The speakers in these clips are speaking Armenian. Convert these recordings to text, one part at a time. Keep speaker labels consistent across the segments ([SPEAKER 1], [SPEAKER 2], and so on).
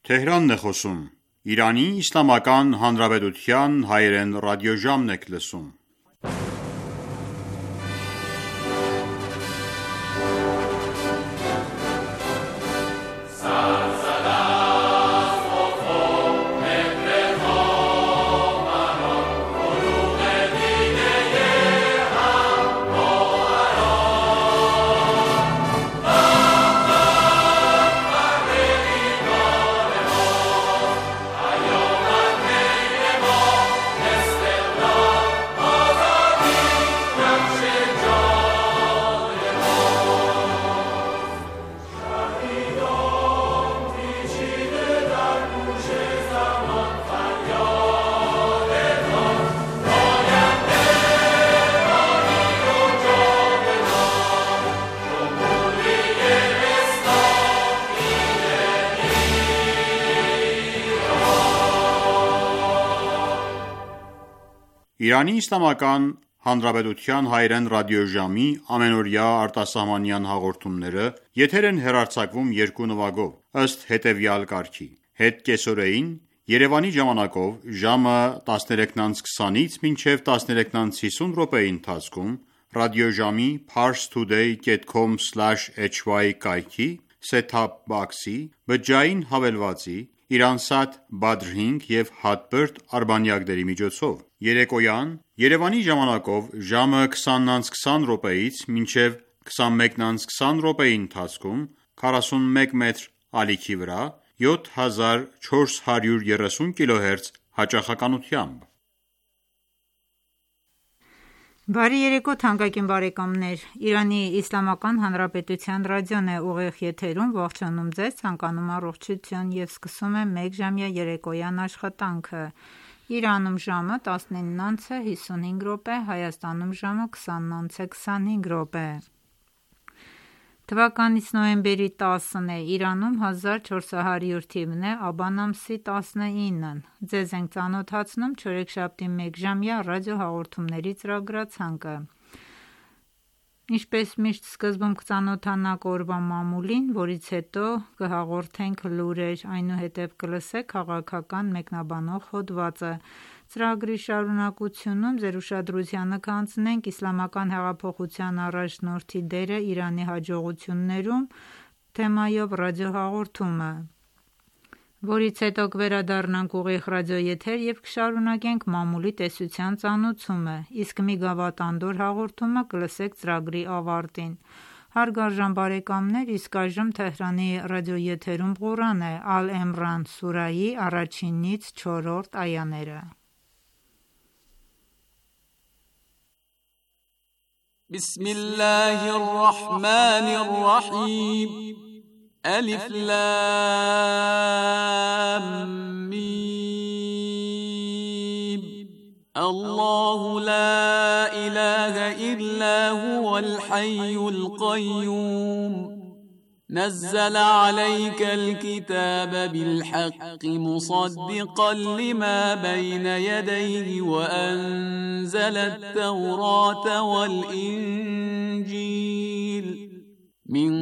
[SPEAKER 1] Թեհրանն է խոսում։ Իրանի Իսլամական Հանրապետության հայերեն ռադիոժամն եք լսում։ Իրանի Իսլամական Հանրապետության հայերեն ռադիոժամի ամենօրյա արտասահմանյան հաղորդումները եթեր են հեռարձակվում երկու նվագով, ըստ հետևյալ կարգի. Հետկեսօրեին Երևանի ժամանակով ժամը 13:20-ից մինչև 13:50 րոպեի ընթացքում ռադիոժամի parstoday.com/hy կայքի set-top box-ի բջջային հավելվածի Իրանսատ Badr 5 և Հատբերդ արբանյակների միջոցով։ Երեկոյան Երևանի ժամանակով ժամը 20:20 րոպեից մինչև 21:20 րոպեի ընթացքում 41 մետր ալիքի վրա 7430 kHz հաճախականությամբ։
[SPEAKER 2] Բարի երեկո թանկագին բարեկամներ, Իրանի Իսլամական Հանրապետության ռադիոն է ուղիղ եթերում, ողջունում ձեզ, ցանկանում առողջություն և սկսում է մեկ ժամյա երեկոյան աշխատանքը։ Իրանում ժամը 19:55 րոպե, Հայաստանում ժամը 20:25 րոպե։ Թվականից նոյեմբերի 10-ն է, Իրանում 1400 թիվն է, աբան ամսի 19-ն։ Ձեզ ենք ծանոթացնում չորեքշաբթի մեկժամյա ռադիոհաղորդումների ծրագրացանկը։ Ինչպես միշտ սկզբում կծանոթանանք օրվա մամուլին, որից հետո կհաղորդենք լուրեր, այնուհետև կլսեք քաղաքական մեկնաբանող հոդվածը։ Ծրագրի շարունակությունում ձեր ուշադրությանը կհանձնենք իսլամական հեղափոխության առաջնորդի դերը Իրանի հաջողություններում թեմայով ռադիոհաղորդումը, որից հետո կվերադառնանք ուղիղ ռադիոեթեր և կշարունակենք մամուլի տեսության ծանուցումը, իսկ մի գավաթանդոր հաղորդումը կլսեք ծրագրի ավարտին։ Հարգարժան բարեկամներ, իսկ այժմ Թեհրանի ռադիոեթերում Ղուրան է, Ալ-Էմրան սուրայի 1-ից 4-րդ այաները։
[SPEAKER 3] Բիսմիլլահիր ռահմանիր ռահիմ Ալիֆ լամ միմ Allahu la ilaha illa huwal hayyul qayyum نزل عليك الكتاب بالحق مصدقا لما بين يديه وأنزل التوراة والإنجيل من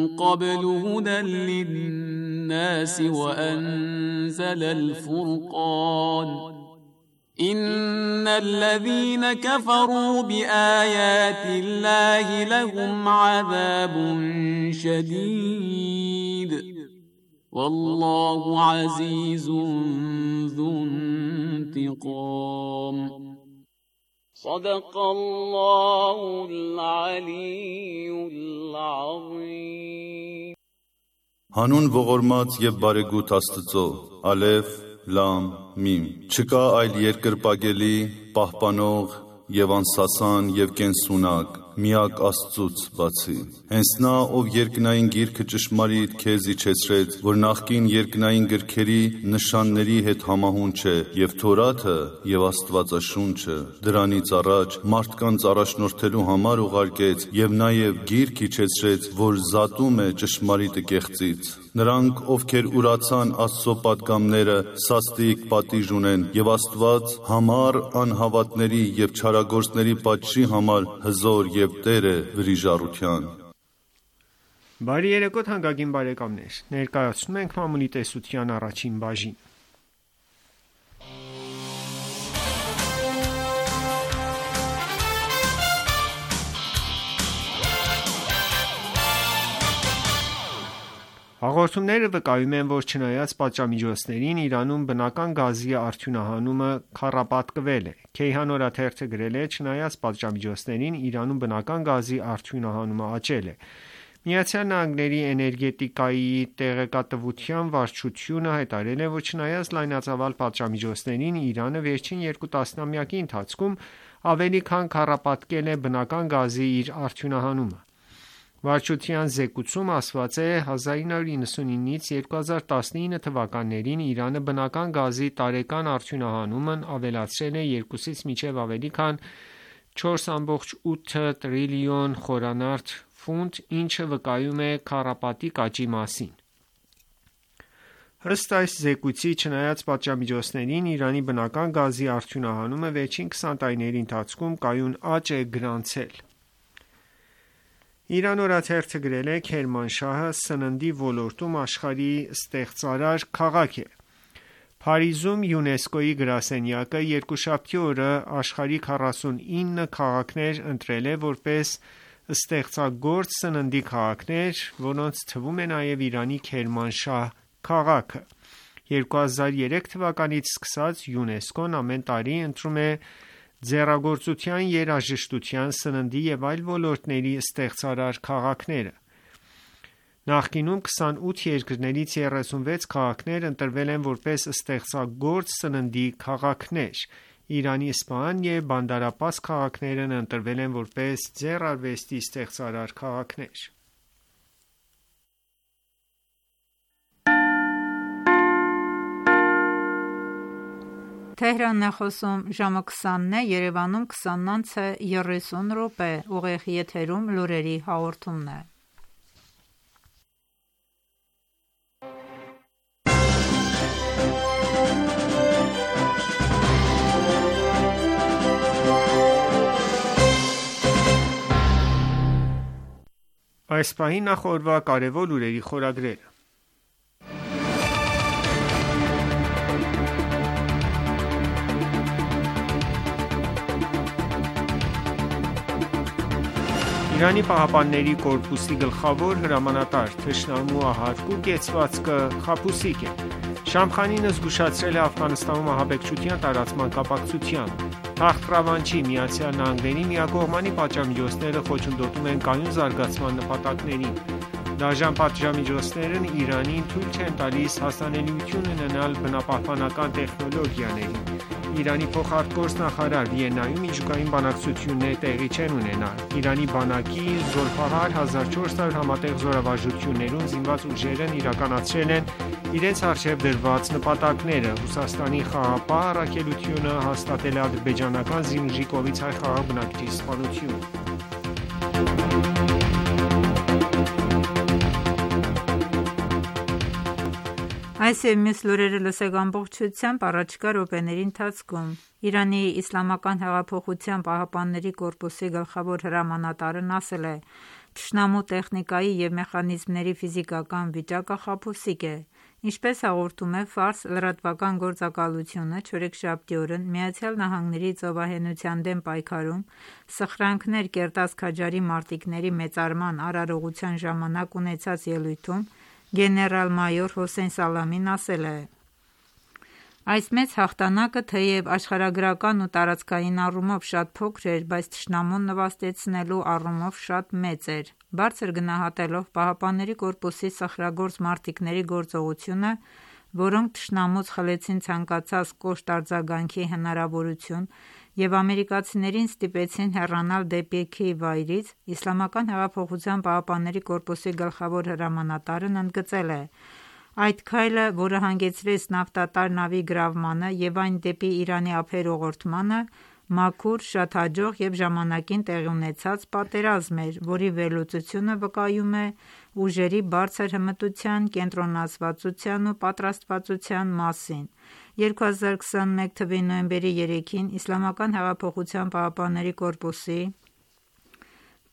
[SPEAKER 3] قبل هدى للناس وأنزل الفرقان إن الذين كفروا بآيات الله لهم عذاب شديد والله عزيز ذو انتقام صدق الله العلي العظيم
[SPEAKER 4] Հանուն ողորմած եւ բարեգութ Աստծո, Ալեֆ, Լամ, Միմ։ Չկա այլ երկրպագելի, պահպանող եւ անսասան եւ կենսունակ, միակ Աստծուց բացի։ Հենց նա, ով երկնային գիրքը ճշմարիտ քեզ իջեցրեց, որ նախկին երկնային գրքերի նշանների հետ համահունչ է, եւ Թորաթը եւ Աստվածաշունչը դրանից առաջ մարդկանց առաջնորդելու համար ուղարկեց եւ նաեւ գիրք իջեցրեց, որ զատում է ճշմարիտը կեղծից։ Նրանք, ովքեր ուրացան Աստծո պատգամները, սաստիկ պատիժ ունեն եւ Աստված համառ անհավատների եւ չարագործների պատժի համար հզոր եւ Տեր է վրիժառության։
[SPEAKER 5] Բարի երեկո թանկագին բարեկամներ, ներկայացնում ենք մամուլի տեսության առաջին բաժին։ Հաղորդումները վկայում են, որ չնայած պատժամիջոցներին, Իրանում բնական գազի արդյունահանումը քառապատկվել է։ Քեյհան օրաթերթը գրել է. չնայած պատժամիջոցներին, Իրանում բնական գազի արդյունահանումը աճել է։ ԱՄՆ էներգետիկայի տեղեկատվության վարչությունը հայտարարել է, որ չնայած լայնածավալ պատժամիջոցներին, Իրանը վերջին 2 տասնամյակի ընթացքում ավելի քան քառապատկել է բնական գազի իր արդյունահանումը։ Վարչության զեկույցում ասված է. 1999-ից 2019 թվականներին Իրանը բնական գազի տարեկան արդյունահանումն ավելացրել է 2-ից մինչև ավելի քան 4,8 տրիլիոն խորանարդ ֆունտ, ինչը վկայում է քառապատիկ աճի մասին։ Ըստ այս զեկույցի, չնայած պատժամիջոցներին, Իրանի բնական գազի արդյունահանումը վերջին 20 տարիների ընթացքում կայուն աճ է գրանցել։ Իրան օրաթերթը գրել է. Քերմանշահը սննդի ոլորտում աշխարհի ստեղծարար քաղաք է։ Փարիզում ՅՈՒՆԵՍԿՕ-ի գրասենյակը երկուշաբթի օրը աշխարհի 49 քաղաքներ ընտրել է որպես ստեղծագործ սննդի քաղաքներ, որոնց թվում է նաև Իրանի Քերմանշահ քաղաքը։ 2003 թվականից սկսած ՅՈՒՆԵՍԿՕ-ն ամեն տարի ընտրում է ձեռագործության, երաժշտության, սննդի և այլ ոլորտների ստեղծարար քաղաքները։ Նախկինում 28 երկրներից 36 քաղաքներ ընտրվել են որպես ստեղծագործ սննդի քաղաքներ։ Իրանի Իսպահան և Բանդար Աբբաս քաղաքներն ընտրվել են որպես ձեռարվեստի ստեղծարար քաղաքներ։
[SPEAKER 2] Թեհրանն է խոսում, ժամը 20-ն է, Երևանում 20:30 ուղիղ եթերում լուրերի հաղորդումն է։
[SPEAKER 5] Այս պահի նախ օրվա կարևոր լուրերի խորագրերը։ Իրանի պահապանների կորպուսի գլխավոր հրամանատար թշնամու ահարկու կեցվածքը խաբուսիկ է։ Շամխանին զգուշացրել է Աֆղանստանում ահաբեկչության տարածման կապակցությամբ։ Թախտ-Ռավանչի ԱՄՆ-ի միակողմանի պատժամիջոցները խոչընդոտում են կայուն զարգացման նպատակներին։ Դաժան պատժամիջոցներն Իրանին թույլ չեն տալիս հասանելիություն ունենալ բնապահպանական տեխնոլոգիաներին։ Իրանի փոխարտգործնախարար Վիեննայում միջուկային բանակցություններ տեղի չեն ունենա։ Իրանի բանակի Զոլֆաղար 1400 համատեղ զորավարժություններում զինված ուժերն իրականացրել են իրենց առջև դրված նպատակները։ Ռուսաստանի խաղաղապահ առաքելությունը հաստատել է ադրբեջանական զինուժի կողմից հայ խաղաղ բնակչի սպանությունը։
[SPEAKER 2] Այս և մյուս լուրերը լսեք ամբողջությամբ առաջիկա րոպեների ընթացքում։ Իրանի իսլամական հեղափոխության պահապանների կորպուսի գլխավոր հրամանատարն ասել է. «Թշնամու տեխնիկայի և մեխանիզմների ֆիզիկական վիճակը խաբուսիկ է»։ Ինչպես հաղորդում է Ֆարս լրատվական գործակալությունը, չորեքշաբթի օրն ԱՄՆ-ի ծովահենության դեմ պայքարում սխրանքներ կերտած Քաջարի մարտիկների մեծարման արարողության ժամանակ ունեցած ելույթում գեներալ-մայոր Հոսեյն Սալամին ասել է. «Այս մեծ հաղթանակը թեև աշխարհագրական ու տարածքային առումով շատ փոքր էր, բայց թշնամուն նվաստեցնելու առումով շատ մեծ էր»։ Բարձր գնահատելով Պահապանների կորպուսի սխրագործ մարտիկների գործողությունը, որոնք թշնամուց խլեցին ցանկացած կոշտ արձագանքի հնարավորություն և ամերիկացիներին ստիպեցին հեռանալ դեպի Քիև վայրից, Իսլամական հեղափոխության պահապանների կորպուսի գլխավոր հրամանատարն ընդգծել է. «Այդ քայլը, որը հանգեցրեց նավթատար նավի գրավմանը և այն դեպի Իրանի ափեր ուղղորդմանը, մաքուր, շատ հաջող և ժամանակին տեղի ունեցած պատերազմ էր, որի վերլուծությունը վկայում է ուժերի բարձր հմտության, կենտրոնացվածության ու պատրաստվածության մասին»։ 2021 թվականի նոյեմբերի 3-ին Իսլամական հեղափոխության պահապանների կորպուսի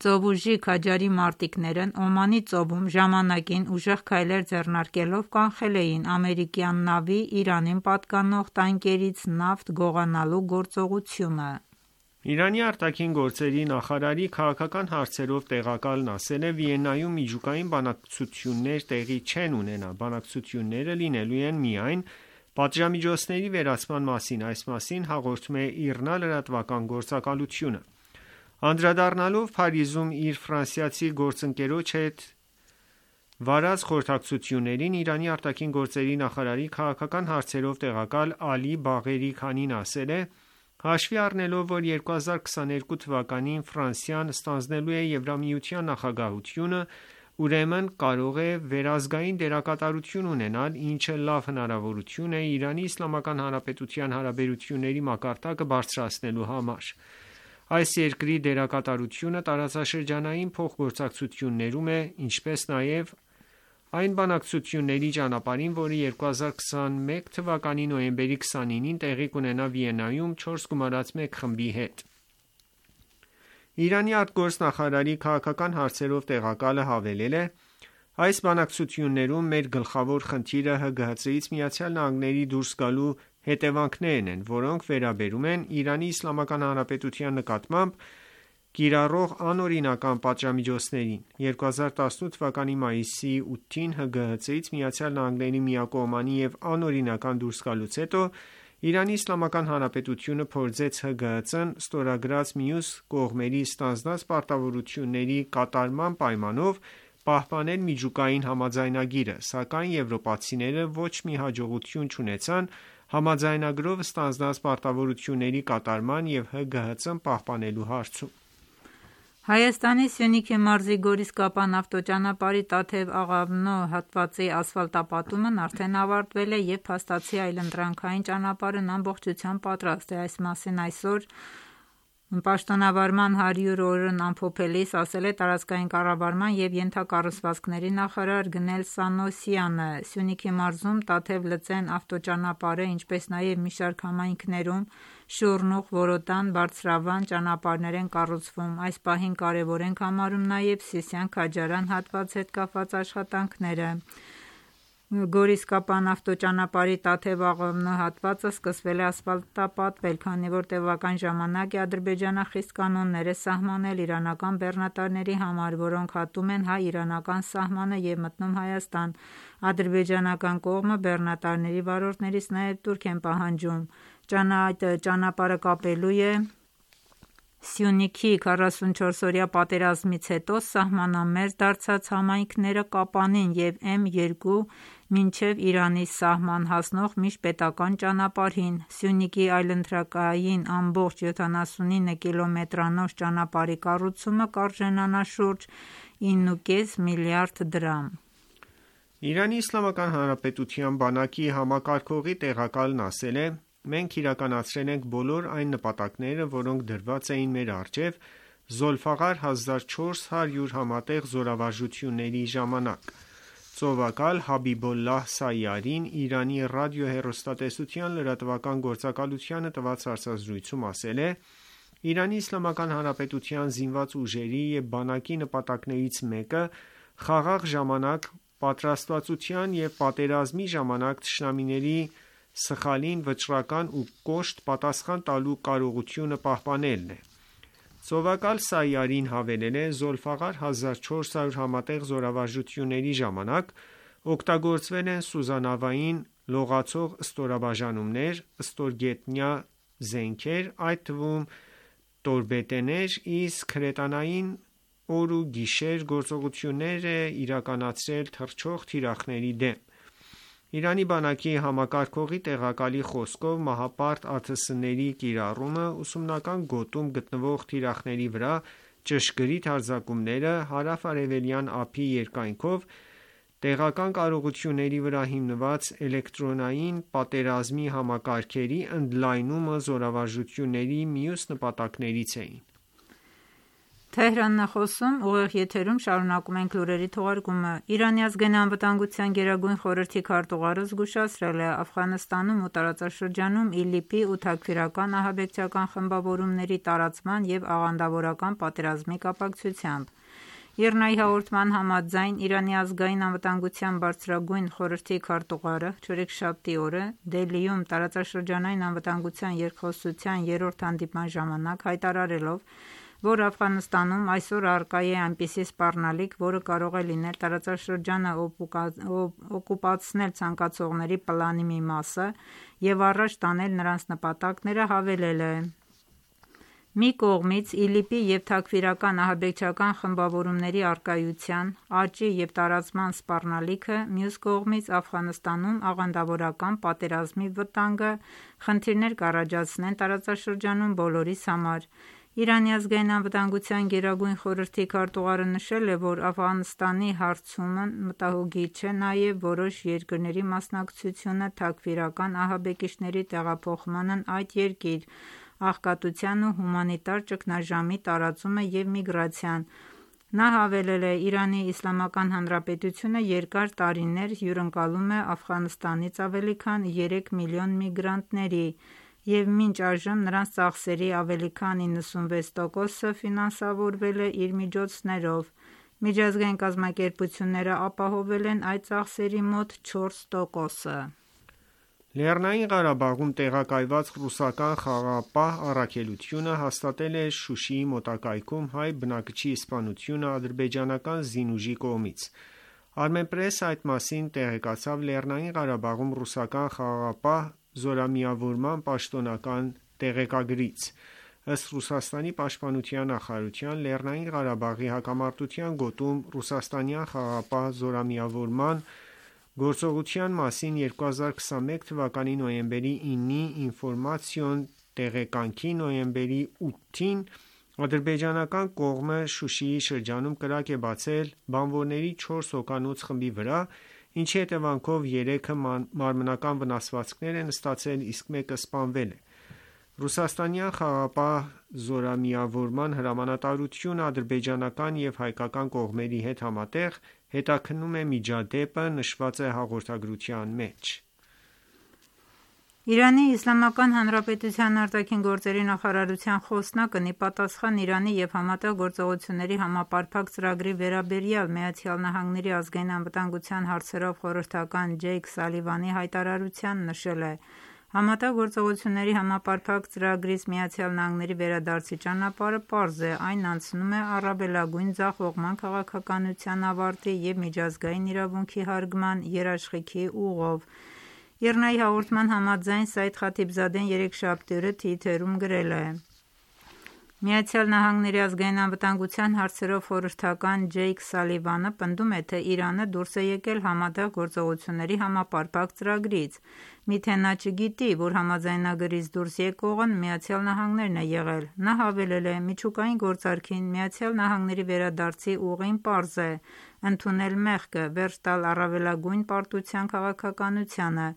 [SPEAKER 2] ծովուժի քաջարի մարտիկներն Օմանի ծովում ժամանակին ուժեղ քայլեր ձեռնարկելով կանխել էին ամերիկյան նավի Իրանին պատկանող տանկերից նավթ գողանալու գործողությունը։
[SPEAKER 5] Իրանի արտաքին գործերի նախարարի քաղաքական հարցերով տեղակալն ասել է. Վիեննայում միջուկային բանակցություններ տեղի չեն ունենա, բանակցությունները լինելու են միայն պատժամիջոցների վերացման մասին, այս մասին հաղորդում է ԻՌՆԱ լրատվական գործակալությունը։ Անդրադառնալով Փարիզում իր ֆրանսիացի գործընկերոջ հետ վարած խորհրդակցություններին, Իրանի արտաքին գործերի նախարարի քաղաքական հարցերով տեղակալ Ալի Բաղերի Քանին ասել է. Հաշվի առնելով, որ 2022 թվականին Ֆրանսիան ստանձնելու է Եվրամիության նախագահությունը, ուրեմն կարող է վերազգային դերակատարություն ունենալ, ինչը լավ հնարավորություն է Իրանի Իսլամական Հանրապետության հարաբերությունների մակարդակը բարձրացնելու համար։ Այս երկրի դերակատարությունը տարածաշրջանային փոխգործակցություններում է, ինչպես նաև այն բանակցությունների ճանապարհին, որը 2021 թվականի նոյեմբերի 29-ին տեղի կունենա Վիեննայում 4+1 խմբի հետ։ Իրանի արտգործնախարարի քաղաքական հարցերով տեղակալը հավելել է. Այս բանակցություններում մեր գլխավոր խնդիրը ՀԳՀԾ-ից ԱՄՆ-ի դուրս գալու հետևանքներն են, որոնք վերաբերում են Իրանի Իսլամական Հանրապետության նկատմամբ կիրառվող անօրինական պատժամիջոցներին։ 2018 թվականի մայիսի 8-ին ՀԳՀԾ-ից ԱՄՆ-ի միակողմանի և անօրինական դուրս գալուց հետո Իրանի Իսլամական Հանրապետությունը փորձեց ՀԳՀԾ-ն ստորագրած մյուս կողմերի ստանձնած պարտավորությունների կատարման պայմանով պահպանել միջուկային համաձայնագիրը, սակայն եվրոպացիները ոչ մի հաջողություն չունեցան համաձայնագրով ստանձնած պարտավորությունների կատարման և ՀԳՀԾ-ն պահպանելու հարցում։
[SPEAKER 2] Հայաստանի Սյունիքի մարզի Գորիս-Կապան ավտոճանապարհի Տաթև-Աղավնո հատվածի ասֆալտապատումն արդեն ավարտվել է և փաստացի այլընտրանքային ճանապարհն ամբողջությամբ պատրաստ է։ Այս մասին այսօր Պաշտոնավարման 100 օրն ամփոփելիս ասել է տարածքային կառավարման և ենթակառուցվածքների նախարար Գնել Սանոսյանը։ Սյունիքի մարզում Տաթև-Լծեն ավտոճանապարհը, ինչպես նաև մի շարք համայնքներում Շուռնուղ, Որոտան, Բարձրավան ճանապարհներ են կառուցվում։ Այս պահին կարևոր ենք համարում նաև Սիսիան-Քաջարան հատվածի հետ կապված աշխատանքները։ Գորիս-Կապան ավտոճանապարհի Տաթև-Աղավնո հատվածը սկսվել է ասֆալտապատվել, քանի որ տևական ժամանակ է Ադրբեջանը խիստ կանոններ է սահմանել իրանական բեռնատարների համար, որոնք հատում են հայ-իրանական սահմանը և մտնում Հայաստան։ Ադրբեջանական կողմը բեռնատարների վարորդներից նաև տուրք են պահանջում։ Ճանապարհը կապելու է Սյունիքի 44-օրյա պատերազմից հետո սահմանամերձ դարձած համայնքները Կապանին և M2 մինչև Իրանի սահման հասնող միջպետական ճանապարհին։ Սյունիքի այլընտրանքային ամբողջ 79 կիլոմետրանոց ճանապարհի կառուցումը կարժենանա շուրջ 9,5 միլիարդ դրամ։
[SPEAKER 5] Իրանի Իսլամական Հանրապետության բանակի համակարգողի տեղակալն ասել է. Մենք իրականացրել ենք բոլոր այն նպատակները, որոնք դրված էին մեր առջև Զոլֆաղար 1400 համատեղ զորավարժությունների ժամանակ։ Ծովակալ Հաբիբոլլահ Սայարին Իրանի ռադիոհեռուստատեսության լրատվական գործակալությանը տված հարցազրույցում ասել է. Իրանի Իսլամական Հանրապետության զինված ուժերի և բանակի նպատակներից մեկը խաղաղ ժամանակ պատրաստվածության և պատերազմի ժամանակ թշնամիների սխալին վճռական ու կոշտ պատասխան տալու կարողությունը պահպանելն է։ Ծովակալ Սայարին հավելել է. Զոլֆաղար 1400 համատեղ զորավարժությունների ժամանակ օգտագործվել են սուզանավային լողացող ստորաբաժանումներ, ստորգետնյա զենքեր, այդ թվում տորպեդոներ, իսկ հրետանային օր ու գիշեր գործողություններ է իրականացրել թռչող թիրախների դեմ։ Իրանի բանակի համակարգողի տեղակալի խոսքով մահապարտ ԱԹՍ-ների կիրառումը, ուսումնական գոտում գտնվող թիրախների վրա ճշգրիտ հարձակումները, հարավ-արևելյան ափի երկայնքով տեղական կարողությունների վրա հիմնված էլեկտրոնային պատերազմի համակարգերի ընդլայնումը զորավարժությունների մյուս նպատակներից էին։
[SPEAKER 2] Թեհրանն է խոսում, ուղիղ եթերում շարունակում ենք լուրերի թողարկումը։ Իրանի ազգային անվտանգության գերագույն խորհրդի քարտուղարը զգուշացրել է Աֆղանստանում ու տարածաշրջանում ԻԼԻՊ-ի ու թաքֆիրական ահաբեկչական խմբավորումների տարածման և աղանդավորական պատերազմի կապակցությամբ։ ԻՌՆԱ-ի հաղորդման համաձայն Իրանի ազգային անվտանգության բարձրագույն խորհրդի քարտուղարը չորեքշաբթի օրը Դելիում տարածաշրջանային անվտանգության երկխոսության 3-րդ հանդիպման ժամանակ հայտարարելով, որ Աֆղանստանում այսօր առկա է այնպիսի սպառնալիք, որը կարող է լինել տարածաշրջանը օկուպացնել ցանկացողների պլանի մի մասը և առաջ տանել նրանց նպատակները, հավելել է. «Մի կողմից ԻԼԻՊ-ի և թաքֆիրական ահաբեկչական խմբավորումների առկայության, աճի և տարածման սպառնալիքը, մյուս կողմից Աֆղանստանում աղանդավորական պատերազմի վտանգը խնդիրներ կառաջացնեն տարածաշրջանում բոլորիս համար»։ Իրանի ազգային անվտանգության գերագույն խորհրդի քարտուղարը նշել է, որ Աֆղանստանի հարցումն մտահոգիչ է նաև որոշ երկրների մասնակցությունը թաքֆիրական ահաբեկիչների տեղափոխմանն այդ երկիր, աղքատության ու հումանիտար ճգնաժամի տարածումը և միգրացիան։ Նա հավելել է. «Իրանի Իսլամական Հանրապետությունը երկար տարիներ հյուրընկալում է Աֆղանստանից ավելի քան 3 միլիոն միգրանտների և մինչ այժմ նրանց ծախսերի ավելի քան 96%-ը ֆինանսավորվել է իր միջոցներով։ Միջազգային կազմակերպությունները ապահովել են այդ ծախսերի մոտ 4%-ը»։
[SPEAKER 5] Լեռնային Ղարաբաղում տեղակայված ռուսական խաղաղապահ առաքելությունը հաստատել է Շուշիի մոտակայքում հայ բնակչի սպանությունը ադրբեջանական զինուժի կողմից։ Armenpress այդ մասին տեղեկացավ Լեռնային Ղարաբաղում ռուսական խաղաղապահ զորամիավորման պաշտոնական տեղեկագրից։ Ըստ Ռուսաստանի պաշտպանության նախարարության, Լեռնային Ղարաբաղի հակամարտության գոտում ռուսաստանյան խաղաղապահ զորամիավորման գործողության մասին 2021 թվականի նոյեմբերի 9-ի ինֆորմացիոն տեղեկանքի նոյեմբերի 8-ին ադրբեջանական կողմը Շուշիի շրջանում կրակ է բացել բանվորների 4 հոգանոց խմբի վրա, ինչի հետևանքով 3-ը մարմնական վնասվածքներ են ստացել, իսկ մեկը սպանվել է։ Ռուսաստանյան խաղաղապահ զորամիավորման հրամանատարությունը ադրբեջանական և հայկական կողմերի հետ համատեղ հետաքննում է միջադեպը, նշված է հաղորդագրության մեջ։
[SPEAKER 2] Իրանի Իսլամական Հանրապետության արտաքին գործերի նախարարության խոսնակն ի պատասխան Իրանի և Համատեղ գործողությունների համապարփակ ծրագրի վերաբերյալ ԱՄՆ-ի ազգային անվտանգության հարցերով խորհրդական Ջեյք Սալիվանի հայտարարության նշել է. «Համատեղ գործողությունների համապարփակ ծրագրից ԱՄՆ-ի վերադարձի ճանապարհը պարզ է. այն անցնում է առավելագույն ձախողման քաղաքականության ավարտի և միջազգային իրավունքի հարգման երաշխիքի ուղով»։ ԻՌՆԱ-ի հաղորդման համաձայն Սայեդ Խաթիբզադեն երեքշաբթի օրը Twitter-ում գրել է. «ԱՄՆ ազգային անվտանգության հարցերով խորհրդական Ջեյք Սալիվանը պնդում է, թե Իրանը դուրս է եկել Համատեղ գործողությունների համապարփակ ծրագրից։ Միթե նա չգիտի, որ համաձայնագրից դուրս եկողն ԱՄՆ-ն է եղել»։ Նա հավելել է. «Միջուկային գործարքին ԱՄՆ վերադարձի ուղին պարզ է. ընդունել մեղքը, վերջ տալ առավելագույն պարտության քաղաքականությանը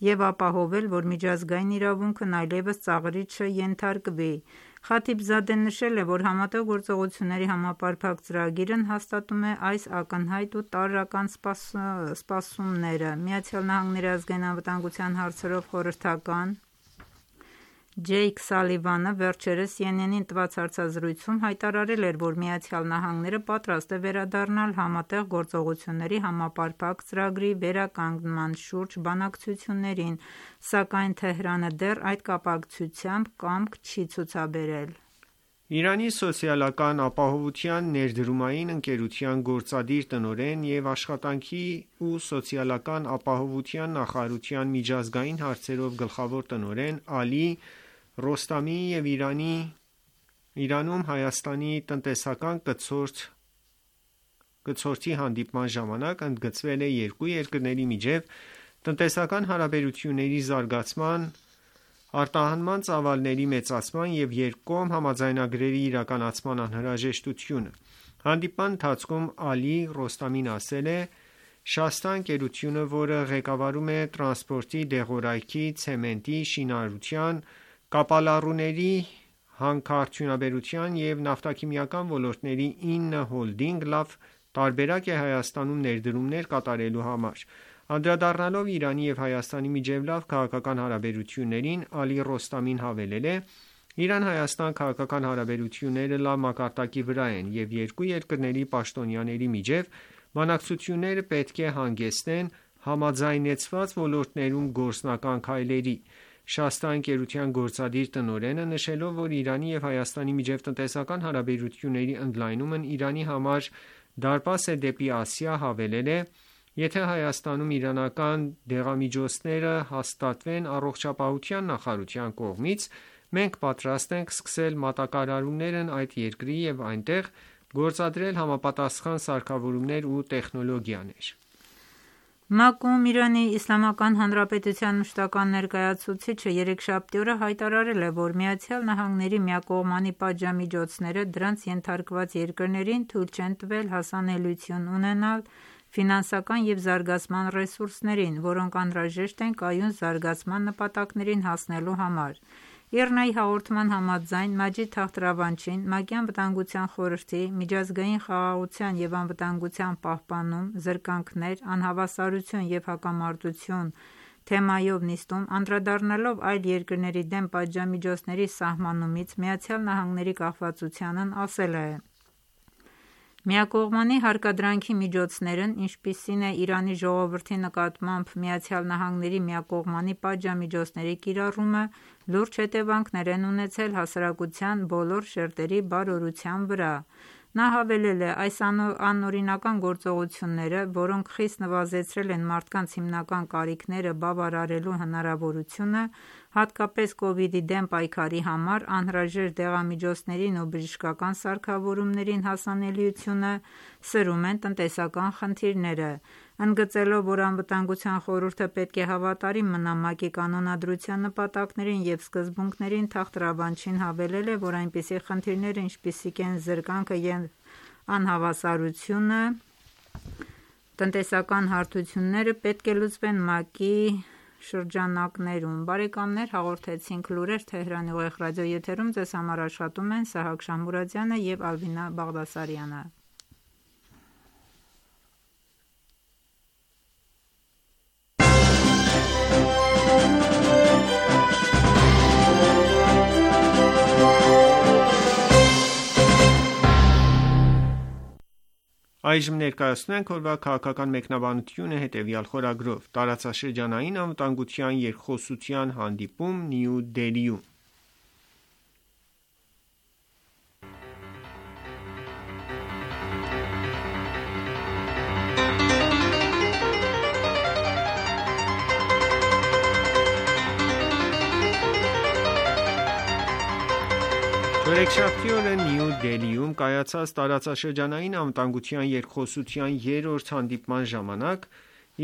[SPEAKER 2] և ապահովել, որ միջազգային իրավունքն այլևս ծաղրի չենթարկվի»։ Խաթիբզադեն նշել է, որ Համատեղ գործողությունների համապարփակ ծրագիրն հաստատում է այս ակնհայտ ու տարրական սպասումները։ ԱՄՆ ազգային անվտանգության հարցերով խորհրդական Ջեյք Սալիվանը վերջերս CNN-ին տված հարցազրույցում հայտարարել էր, որ ԱՄՆ-ն պատրաստ է վերադառնալ Համատեղ գործողությունների համապարփակ ծրագրի վերականգնման շուրջ բանակցություններին, սակայն Թեհրանը դեռ այդ կապակցությամբ կամք չի ցուցաբերել։
[SPEAKER 5] Իրանի սոցիալական ապահովության ներդրումային ընկերության գործադիր տնօրեն և աշխատանքի ու սոցիալական ապահովության նախարարության միջազգային հարցերով գլխավոր տնօրեն Ալի Ռոստամիի և Իրանում Հայաստանի տնտեսական կցորդի հանդիպման ժամանակ ընդգծվել է երկու երկրների միջև տնտեսական հարաբերությունների զարգացման, արտահանման ծավալների մեծացման և երկկողմ համաձայնագրերի իրականացման անհրաժեշտությունը։ Հանդիպման ընթացքում Ալի Ռոստամին ասել է. «Շաստա ընկերությունը, որը ղեկավարում է տրանսպորտի, դեղորայքի, ցեմենտի, շինարարության, կապալառուների, հանքարդյունաբերության և նավթաքիմիական ոլորտների 9 հոլդինգ լավ տարբերակ է Հայաստանում ներդրումներ կատարելու համար: Անդրադառնալով Իրանի և Հայաստանի միջև լավ քաղաքական հարաբերություններին, Ալի Ռոստամին հավելել է. «Իրան-Հայաստան քաղաքական հարաբերությունները լավ մակարդակի վրա են և երկու երկրների պաշտոնյաների միջև բանակցությունները պետք է հանգեցնեն համաձայնեցված ոլորտներում գործնական քայլերի»: Շաստա ընկերության գործադիր տնօրենը, նշելով, որ Իրանի և Հայաստանի միջև տնտեսական հարաբերությունների ընդլայնումն Իրանի համար դարպաս է դեպի Ասիա, հավելել է. «Եթե Հայաստանում իրանական դեղամիջոցները հաստատվեն առողջապահության նախարարության կողմից, մենք պատրաստ ենք սկսել մատակարարումներն այդ երկրի և այնտեղ գործադրել համապատասխան սարքավորումներ ու տեխնոլոգիաներ»:
[SPEAKER 2] ՄԱԿ-ում ԻԻՀ մշտական ներկայացուցիչը երեքշաբթի օրը հայտարարել է, որ ԱՄՆ-ի միակողմանի պատժամիջոցները դրանց ենթարկված երկրներին թույլ չեն տվել հասանելիություն ունենալ ֆինանսական և զարգացման ռեսուրսներին, որոնք անհրաժեշտ են կայուն զարգացման նպատակներին հասնելու համար: ԻՌՆԱ-ի հաղորդման համաձայն, Մաջիդ Թախտ Ռավանչին ՄԱԿ-ի Անվտանգության խորհրդի «Միջազգային խաղաղության և անվտանգության պահպանում, զրկանքներ, անհավասարություն և հակամարտություն» թեմայով նիստում անդրադառնալով այլ երկրների դեմ պատժամիջոցների սահմանումից ԱՄՆ-ի կախվածությանն, ասել է. «Միակողմանի հարկադրանքի միջոցներն, ինչպիսին է Իրանի ժողովրդի նկատմամբ ԱՄՆ-ի միակողմանի պատժամիջոցների կիրառումը, լուրջ հետևանքներ են ունեցել հասարակության բոլոր շերտերի բարօրության վրա»: Նա հավելել է. «Այս անօրինական գործողությունները, որոնք խիստ նվազեցրել են մարդկանց հիմնական կարիքները բավարարելու հնարավորությունը, հատկապես կովիդի դեմ պայքարի համար անհրաժեշտ դեղամիջոցներին ու բժշկական սարքավորումներին հասանելիությունը, սրում են տնտեսական խնդիրները»: Ընդգծելով, որ Անվտանգության խորհուրդը պետք է հավատարիմ մնա ՄԱԿ-ի կանոնադրության նպատակներին և սկզբունքներին, Թախտ Ռավանչին հավելել է, որ այնպիսի խնդիրներ, ինչպիսիք են զրկանքը և անհավասարությունը, տնտեսական հարթությունները, պետք է լուծվեն ՄԱԿ-ի շրջանակներում: Հաղորդեցինք լուրեր Թեհրանի ուղիղ ռադիոեթերում: Ձեզ համար աշխատում են Սահակ Շամուրադյանը և Ալվինա Բաղդասարյանը:
[SPEAKER 5] Այժմ ներկայացնում ենք օրվա քաղաքական մեկնաբանությունը հետևյալ խորագրով. Տարածաշրջանային անվտանգության երկխոսության հանդիպում Նյու Դելիում: Չորեքշաբթի օրը Նյու Դելիում կայացած տարածաշրջանային անվտանգության երկխոսության երրորդ հանդիպման ժամանակ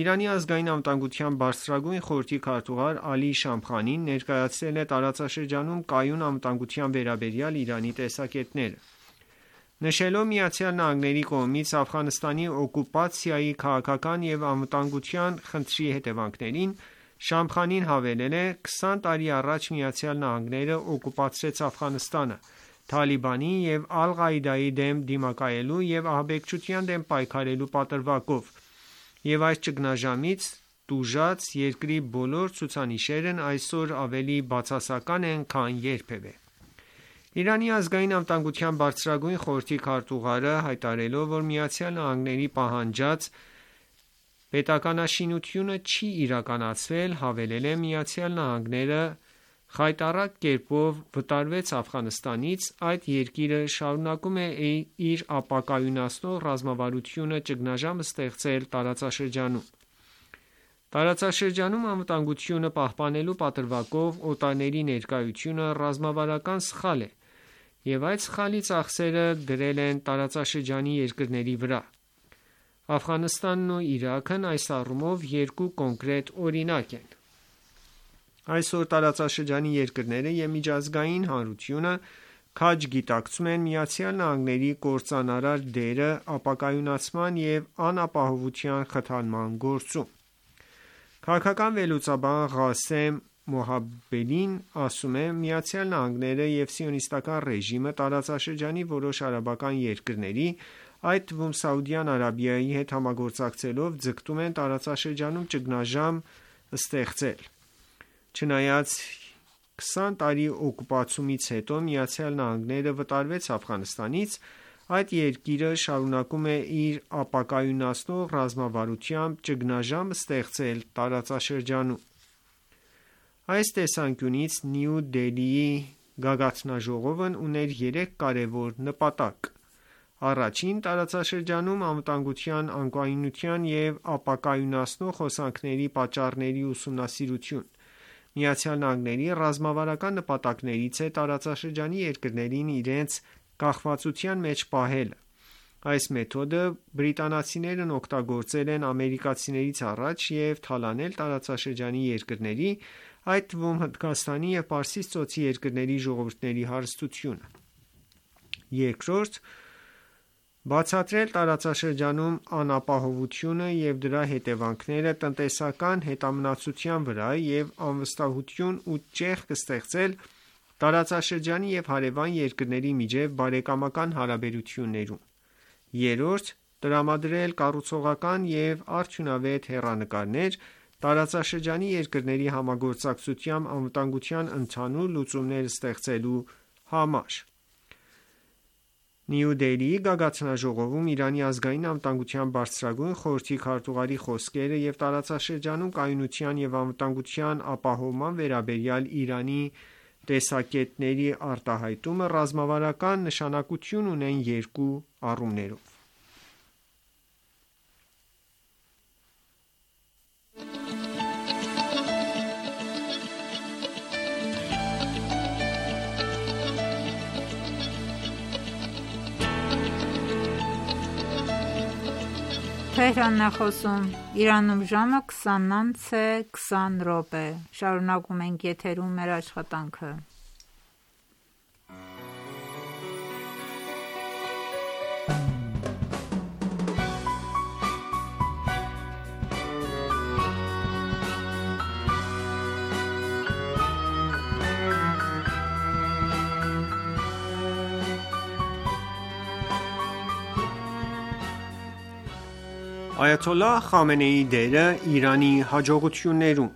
[SPEAKER 5] Իրանի ազգային անվտանգության բարձրագույն խորհրդի քարտուղար Ալի Շամխանին ներկայացրել է տարածաշրջանում կայուն անվտանգության վերաբերյալ Իրանի տեսակետները: Նշելով ԱՄՆ-ի կողմից Աֆղանստանի օկուպացիայի քաղաքական և անվտանգության խնդրի հետևանքներին, Շամխանին հավելել է. «20 տարի առաջ ԱՄՆ-ն օկուպացրեց Աֆղանստանը՝ Թալիբանի և Ալ-Ղաիդայի դեմ դիմակայելու և ահաբեկչության դեմ պայքարելու պատրվակով, և այս ճգնաժամից տուժած երկրի բոլոր ցուցանիշերն այսօր ավելի բացասական են, քան երբևէ»: Իրանի ազգային անվտանգության բարձրագույն խորհրդի քարտուղարը, հայտարարելով, որ ԱՄՆ-ի պահանջած պետականաշինությունը չի իրականացվել, հավելել է. «ԱՄՆ-ն խայտառակ կերպով վտարվեց Աֆղանստանից, այդ երկիրը շարունակում է իր ապակայունացնող ռազմավարությունը ճգնաժամ ստեղծել տարածաշրջանում: Տարածաշրջանում անվտանգությունը պահպանելու պատրվակով օտարների ներկայությունը ռազմավարական սխալ է, և այդ սխալի ծախսերը դրել են տարածաշրջանի երկրների վրա: Աֆղանստանն ու Իրաքն այս առումով երկու կոնկրետ օրինակ են: Այսօր տարածաշրջանի երկրները և միջազգային հանրությունը քաջ գիտակցում են ԱՄՆ-ի կործանարար դերը ապակայունացման և անապահովության խթանման գործում»: Քաղաքական վերլուծաբան Ղասեմ Մոհաբելին ասում է. ԱՄՆ-ը և սիոնիստական ռեժիմը տարածաշրջանի որոշ արաբական երկրների, այդ թվում Սաուդյան Արաբիայի հետ համագործակցելով ձգտում են տարածաշրջանում ճգնաժամ ստեղծել: Չնայած 20 տարի օկուպացումից հետո ԱՄՆ-ը վտարվեց Աֆղանստանից, այդ երկիրը շարունակում է իր ապակայունացնող ռազմավարությամբ ճգնաժամ ստեղծել տարածաշրջանում: Այս տեսանկյունից Նյու Դելիի գագաթնաժողովն ուներ 3 կարևոր նպատակ: Առաջին՝ տարածաշրջանում անվտանգության, անկայունության և ապակայունացնող հոսանքների պատճառների ուսումնասիրություն: ԱՄՆ-ի ռազմավարական նպատակներից է տարածաշրջանի երկրներին իրենց կախվածության մեջ պահելը: Այս մեթոդը բրիտանացիներն օգտագործել են ամերիկացիներից առաջ և թալանել տարածաշրջանի երկրների, այդ թվում Հնդկաստանի և Պարսից ծոցի երկրների ժողովուրդների հարստությունը: Երկրորդ՝ բացատրել տարածաշրջանում անապահովությունը և դրա հետևանքները տնտեսական հետամնացության վրա և անվստահություն ու ճեղք ստեղծել տարածաշրջանի և հարևան երկրների միջև բարեկամական հարաբերություններում: Երրորդ՝ տրամադրել կառուցողական և արդյունավետ հեռանկարներ տարածաշրջանի երկրների համագործակցությամբ անվտանգության ընդհանուր լուծումներ ստեղծելու համար: Նյու Դելիի գագաթնաժողովում Իրանի ազգային անվտանգության բարձրագույն խորհրդի քարտուղարի խոսքերը և տարածաշրջանում կայունության և անվտանգության ապահովման վերաբերյալ Իրանի տեսակետների արտահայտումը ռազմավարական նշանակություն ունեն երկու առումներով: Այաթոլլահ Խամենեիի դերը Իրանի հաջողություններում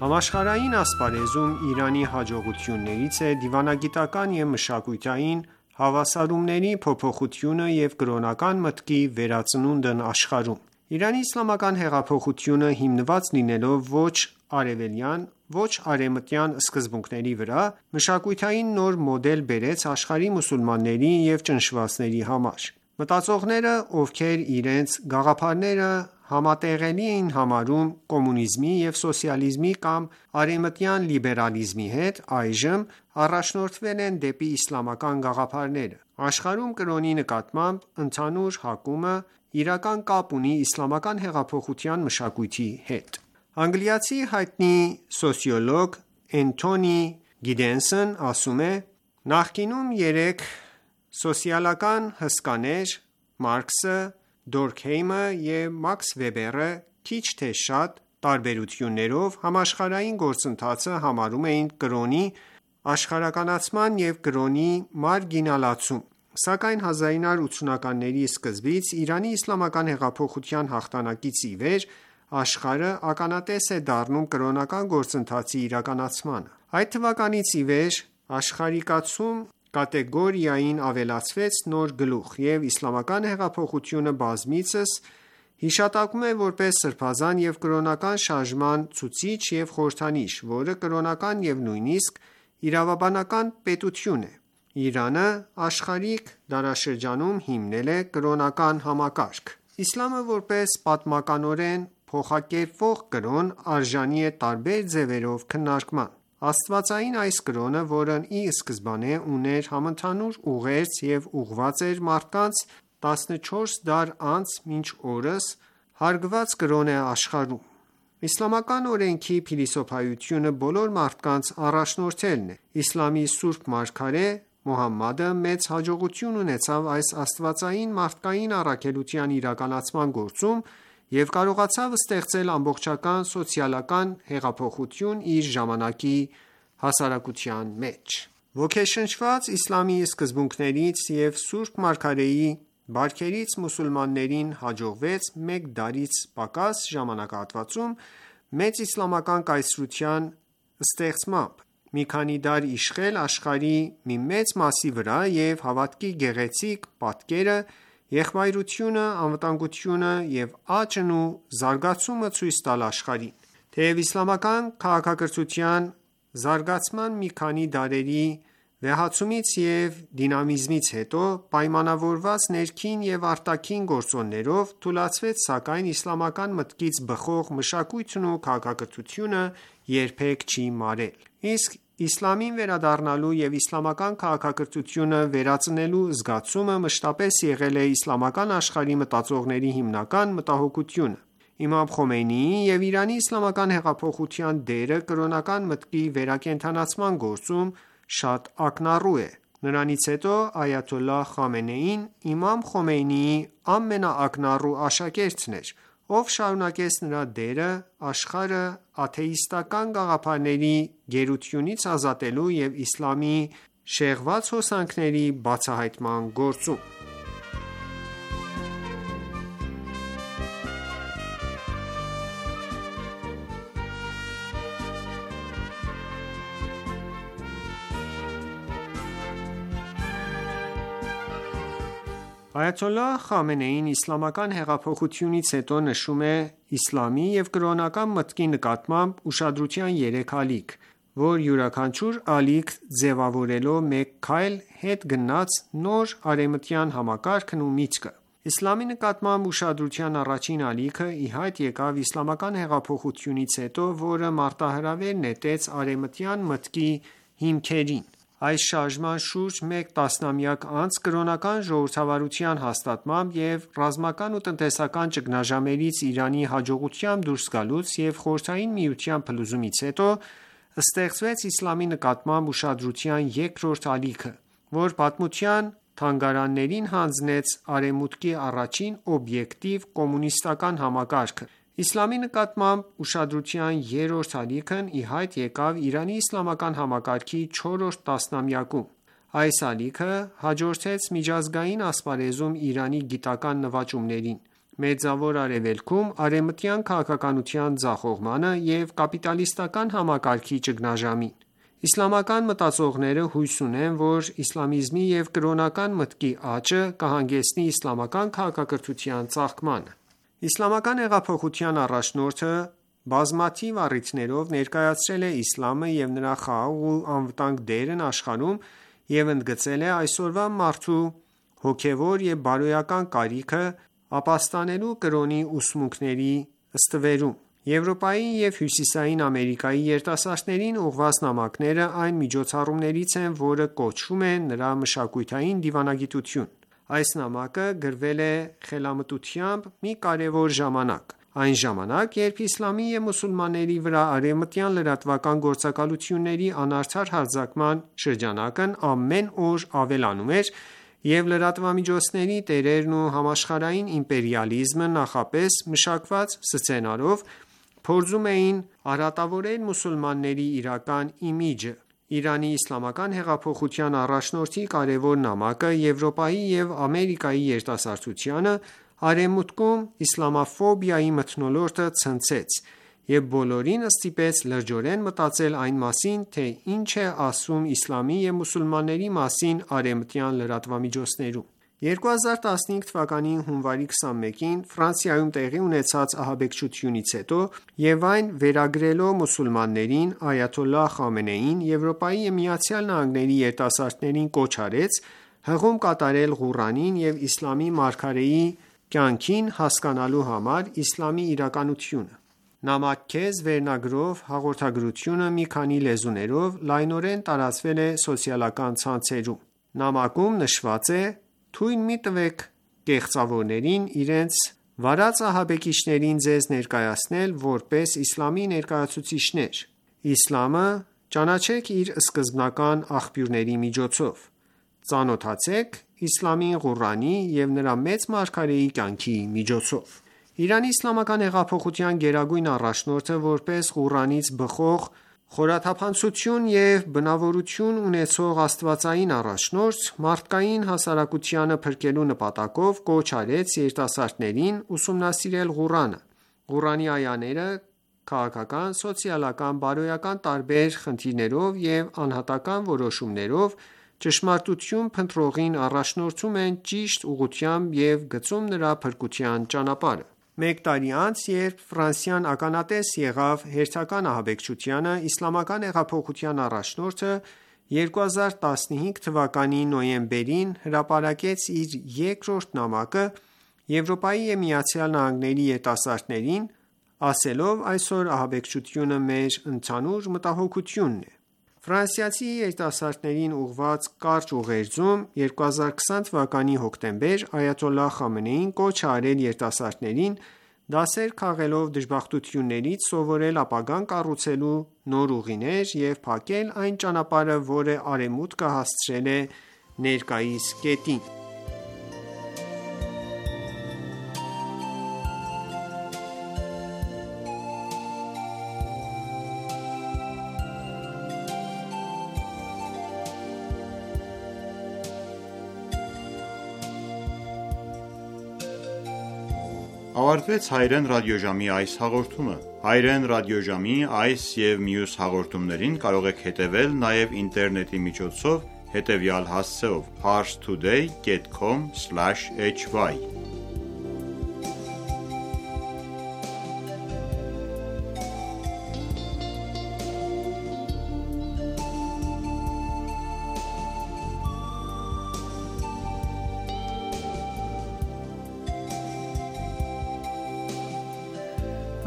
[SPEAKER 5] Համաշխարհային ասպարեզում Իրանի հաջողություններից է դիվանագիտական և մշակութային հավասարումների փոփոխությունը և կրոնական մտքի վերածնունդն աշխարհում: Իրանի իսլամական հեղափոխությունը հիմնված լինելով ոչ արևելյան, ոչ արևմտյան սկզբունքների վրա, մշակութային նոր մոդել բերեց աշխարհի մուսուլմանների և ճնշվածների համար: Մտածողները, ովքեր իրենց գաղափարները համատեղելի էին համարում կոմունիզմի և սոցիալիզմի կամ արևմտյան լիբերալիզմի հետ, այժմ առաջնորդվել են դեպի իսլամական գաղափարները: Աշխարհում կրոնի նկատմամբ ընդհանուր հակումը իրական կապ ունի իսլամական հեղափոխության մշակույթի հետ: Անգլիացի հայտնի սոցիոլոգ Էնթոնի Գիդենսն ասում է. «Նախկինում երեք սոցիալական հսկաներ՝ Մարքսը, Դորքհեյմը և Մաքս Վեբերը, քիչ թե շատ տարբերություններով համաշխարհային գործընթացը համարում էին կրոնի աշխարհականացման և կրոնի մարգինալացում: Սակայն 1980-ականների սկզբից Իրանի իսլամական հեղափոխության հաղթանակից ի վեր աշխարհը ականատես է դառնում կրոնական գործընթացի իրականացմանը: Այդ թվականից ի վեր աշխարհիկացում կատեգորիային ավելացվեց նոր գլուխ և իսլամական հեղափոխությունը բազմիցս հիշատակվում է որպես սրբազան և կրոնական շարժման ցուցիչ և խորհրդանիշ, որը կրոնական և նույնիսկ իրավաբանական պետություն է: Իրանը աշխարհիկ դարաշրջանում հիմնել է կրոնական համակարգ: Իսլամը որպես պատմականորեն փոխակերպվող կրոն արժանի է տարբեր ձևերով քննարկման: Աստվածային այս կրոնը, որն ի սկզբանե ուներ համընդհանուր ուղերձ և ուղղված էր մարդկանց 14 դար անց մինչ օրս հարգված կրոն է աշխարհում: Իսլամական օրենքի փիլիսոփայությունը բոլոր մարդկանց առաջնորդելն է: Իսլամի սուրբ մարգարե Մուհամմադը մեծ հաջողություն ունեցավ այս աստվածային մարդկային առաքելության իրականացման գործում և կարողացավ ստեղծել ամբողջական սոցիալական հեղափոխություն իր ժամանակի հասարակության մեջ։ Ոգեշնչված իսլամի սկզբունքներից և Սուրբ Մարգարեի բարքերից մուսուլմաններին հաջողվեց մեկ դարից պակաս ժամանակահատվածում մեծ իսլամական կայսրության ստեղծմամբ մի քանի դար իշխել աշխարհի մի մեծ մասի վրա և հավատքի գեղեցիկ պատկերը, եղբայրությունը, անվտանգությունը և աճն ու զարգացումը ցույց տալ աշխարհին։ Թեև իսլամական քաղաքակրթության զարգացման մի քանի դարերի վեհացումից և դինամիզմից հետո պայմանավորված ներքին և արտաքին գործոններով թուլացվեց, սակայն իսլամական մտքից բխող մշակույթն ու քաղաքակրթությունը երբեք չի մարել։ Իսկ իսլամին վերադառնալու և իսլամական քաղաքակրթությունը վերածնելու զգացումը մշտապես եղել է իսլամական աշխարհի մտածողների հիմնական մտահոգությունը։ Իմամ Խոմեյնիի և Իրանի իսլամական հեղափոխության դերը կրոնական մտքի վերակենդանացման գործում շատ ակնառու է։ Նրանից հետո այաթոլլահ Խամենեին իմամ Խոմեյնիի ամենաակնառու աշակերտն էր, ով շարունակեց նրա դերը աշխարհը աթեիստական գաղափարների գերությունից ազատելու և իսլամի շեղված հոսանքների բացահայտման գործում։ Այաթոլլահ Խամենեին իսլամական հեղափոխությունից հետո նշում է իսլամի և կրոնական մտքի նկատմամբ ուշադրության 3 ալիք, որ յուրաքանչյուր ալիք ձևավորելով մեկ քայլ հետ գնաց նոր արևմտյան համակարգն ու միտքը։ Իսլամի նկատմամբ ուշադրության առաջին ալիքը ի հայտ եկավ իսլամական հեղափոխությունից հետո, որը մարտահրավեր նետեց արևմտյան մտքի հիմքերին։ Այս շարժման շուրջ մեկ տասնամյակ անց կրոնական ժողովրդավարության հաստատմամբ և ռազմական ու տնտեսական ճգնաժամերից Իրանի հաջողությամբ դուրս գալուց և Խորհրդային Միության փլուզումից հետո ստեղծվեց իսլամի նկատմամբ ուշադրության երկրորդ ալիքը, որ պատմության թանգարաններին հանձնեց Արևմուտքի առաջին օբյեկտիվ կոմունիստական համակարգը։ Իսլամի նկատմամբ ուշադրության երրորդ ալիքն ի հայտ եկավ Իրանի իսլամական համակարգի 4-րդ տասնամյակում։ Այս ալիքը հաջորդեց միջազգային ասպարեզում Իրանի գիտական նվաճումներին, Մերձավոր Արևելքում արևմտյան քաղաքականության ձախողմանը և կապիտալիստական համակարգի ճգնաժամին։ Իսլամական մտածողները հույս ունեն, որ իսլամիզմի և կրոնական մտքի աճը կհանգեցնի իսլամական քաղաքակրթության ծաղկմանը։ Իսլամական հեղափոխության առաջնորդը բազմաթիվ առիթներով ներկայացրել է իսլամը և նրա խաղաղ ու անվտանգ դերն աշխարհում և ընդգծել է այսօրվա մարդու հոգևոր և բարոյական կարիքը ապաստանելու կրոնի ուսմունքների ստվերում։ Եվրոպայի և Հյուսիսային Ամերիկայի երիտասարդներին ուղղված նամակները այն միջոցառումներից են, որը կոչվում է նրա մշակութային դիվանագիտություն։ Այս նամակը գրվել է խելամտությամբ մի կարևոր ժամանակ։ Այն ժամանակ, երբ իսլամի և մուսուլմանների վրա արևմտյան լրատվական գործակալությունների անարդար հարձակման շրջանակն ամեն օր ավելանում էր, և լրատվամիջոցների տերերն ու համաշխարհային իմպերիալիզմը նախապես մշակված սցենարով փորձում էին արատավորել մուսուլմանների իրական իմիջը։ Իրանի իսլամական հեղափոխության առաջնորդի կարևոր նամակը Եվրոպայի և Ամերիկայի երիտասարդությանը Արևմուտքում իսլամաֆոբիայի մթնոլորտը ցնցեց և բոլորին ստիպեց լրջորեն մտածել այն մասին, թե ինչ է ասում իսլամի և մուսուլմանների մասին արևմտյան լրատվամիջոցներում։ 2015 թվականի հունվարի 21-ին Ֆրանսիայում տեղի ունեցած ահաբեկչությունից հետո և այն վերագրելով մուսուլմաններին, այաթոլլահ Խամենեին Եվրոպայի և ԱՄՆ-ի երիտասարդներին կոչ արեց հղում կատարել Ղուրանին և իսլամի մարգարեի կյանքին հասկանալու համար իսլամի իրականությունը։ «Նամակ քեզ» վերնագրով հաղորդագրությունը մի քանի լեզուներով լայնորեն տարածվել է սոցիալական ցանցերում։ Նամակում նշված է. «Թույլ մի տվեք կեղծավորներին իրենց վարած ահաբեկիչներին ձեզ ներկայացնել որպես իսլամի ներկայացուցիչներ։ Իսլամը ճանաչեք իր սկզբնական աղբյուրների միջոցով։ Ծանոթացեք իսլամի Ղուրանի և նրա մեծ մարգարեի կյանքի միջոցով: Իրանի իսլամական հեղափոխության գերագույն առաջնորդը որպես Ղուրանից բխող խորաթափանցություն և բնավորություն ունեցող աստվածային առաջնորդ, մարդկային հասարակությանը փրկելու նպատակով կոչ արեց երիտասարդներին ուսումնասիրել Ղուրանը: Ղուրանի այաները քաղաքական, սոցիալական, բարոյական տարբեր խնդիրներով և անհատական որոշումներով ճշմարտություն փնտրողին առաջնորդում են ճիշտ ուղղությամբ և գծում նրա փրկության ճանապարհը: Մեկ տարի անց, երբ Ֆրանսիան ականատես եղավ հերթական ահաբեկչությանը, Իսլամական հեղափոխության առաջնորդը 2015 թվականի նոյեմբերին հրապարակեց իր երկրորդ նամակը Եվրոպայի և ԱՄՆ-ի երիտասարդներին, ասելով. «Այսօր ահաբեկչությունը մեր ընդհանուր մտահոգությունն է»: Ֆրանսիացի երիտասարդներին ուղղված կարճ ուղերձում 2020 թվականի հոկտեմբեր այաթոլլահ Խամենեին կոչ է արել երիտասարդներին դասեր քաղելով դժբախտություններից սովորել ապագան կառուցելու նոր ուղիներ և փակել այն ճանապարհը, որը Արևմուտքը հասցրել է ներկայիս կետին:
[SPEAKER 1] Ավարտվեց հայրեն ռադիոժամի այս հաղորդումը: Հայրեն ռադիոժամի այս և մյուս հաղորդումներին կարող եք հետևել նաև ինտերնետի միջոցով հետևյալ հասցեով. parstoday.com/hy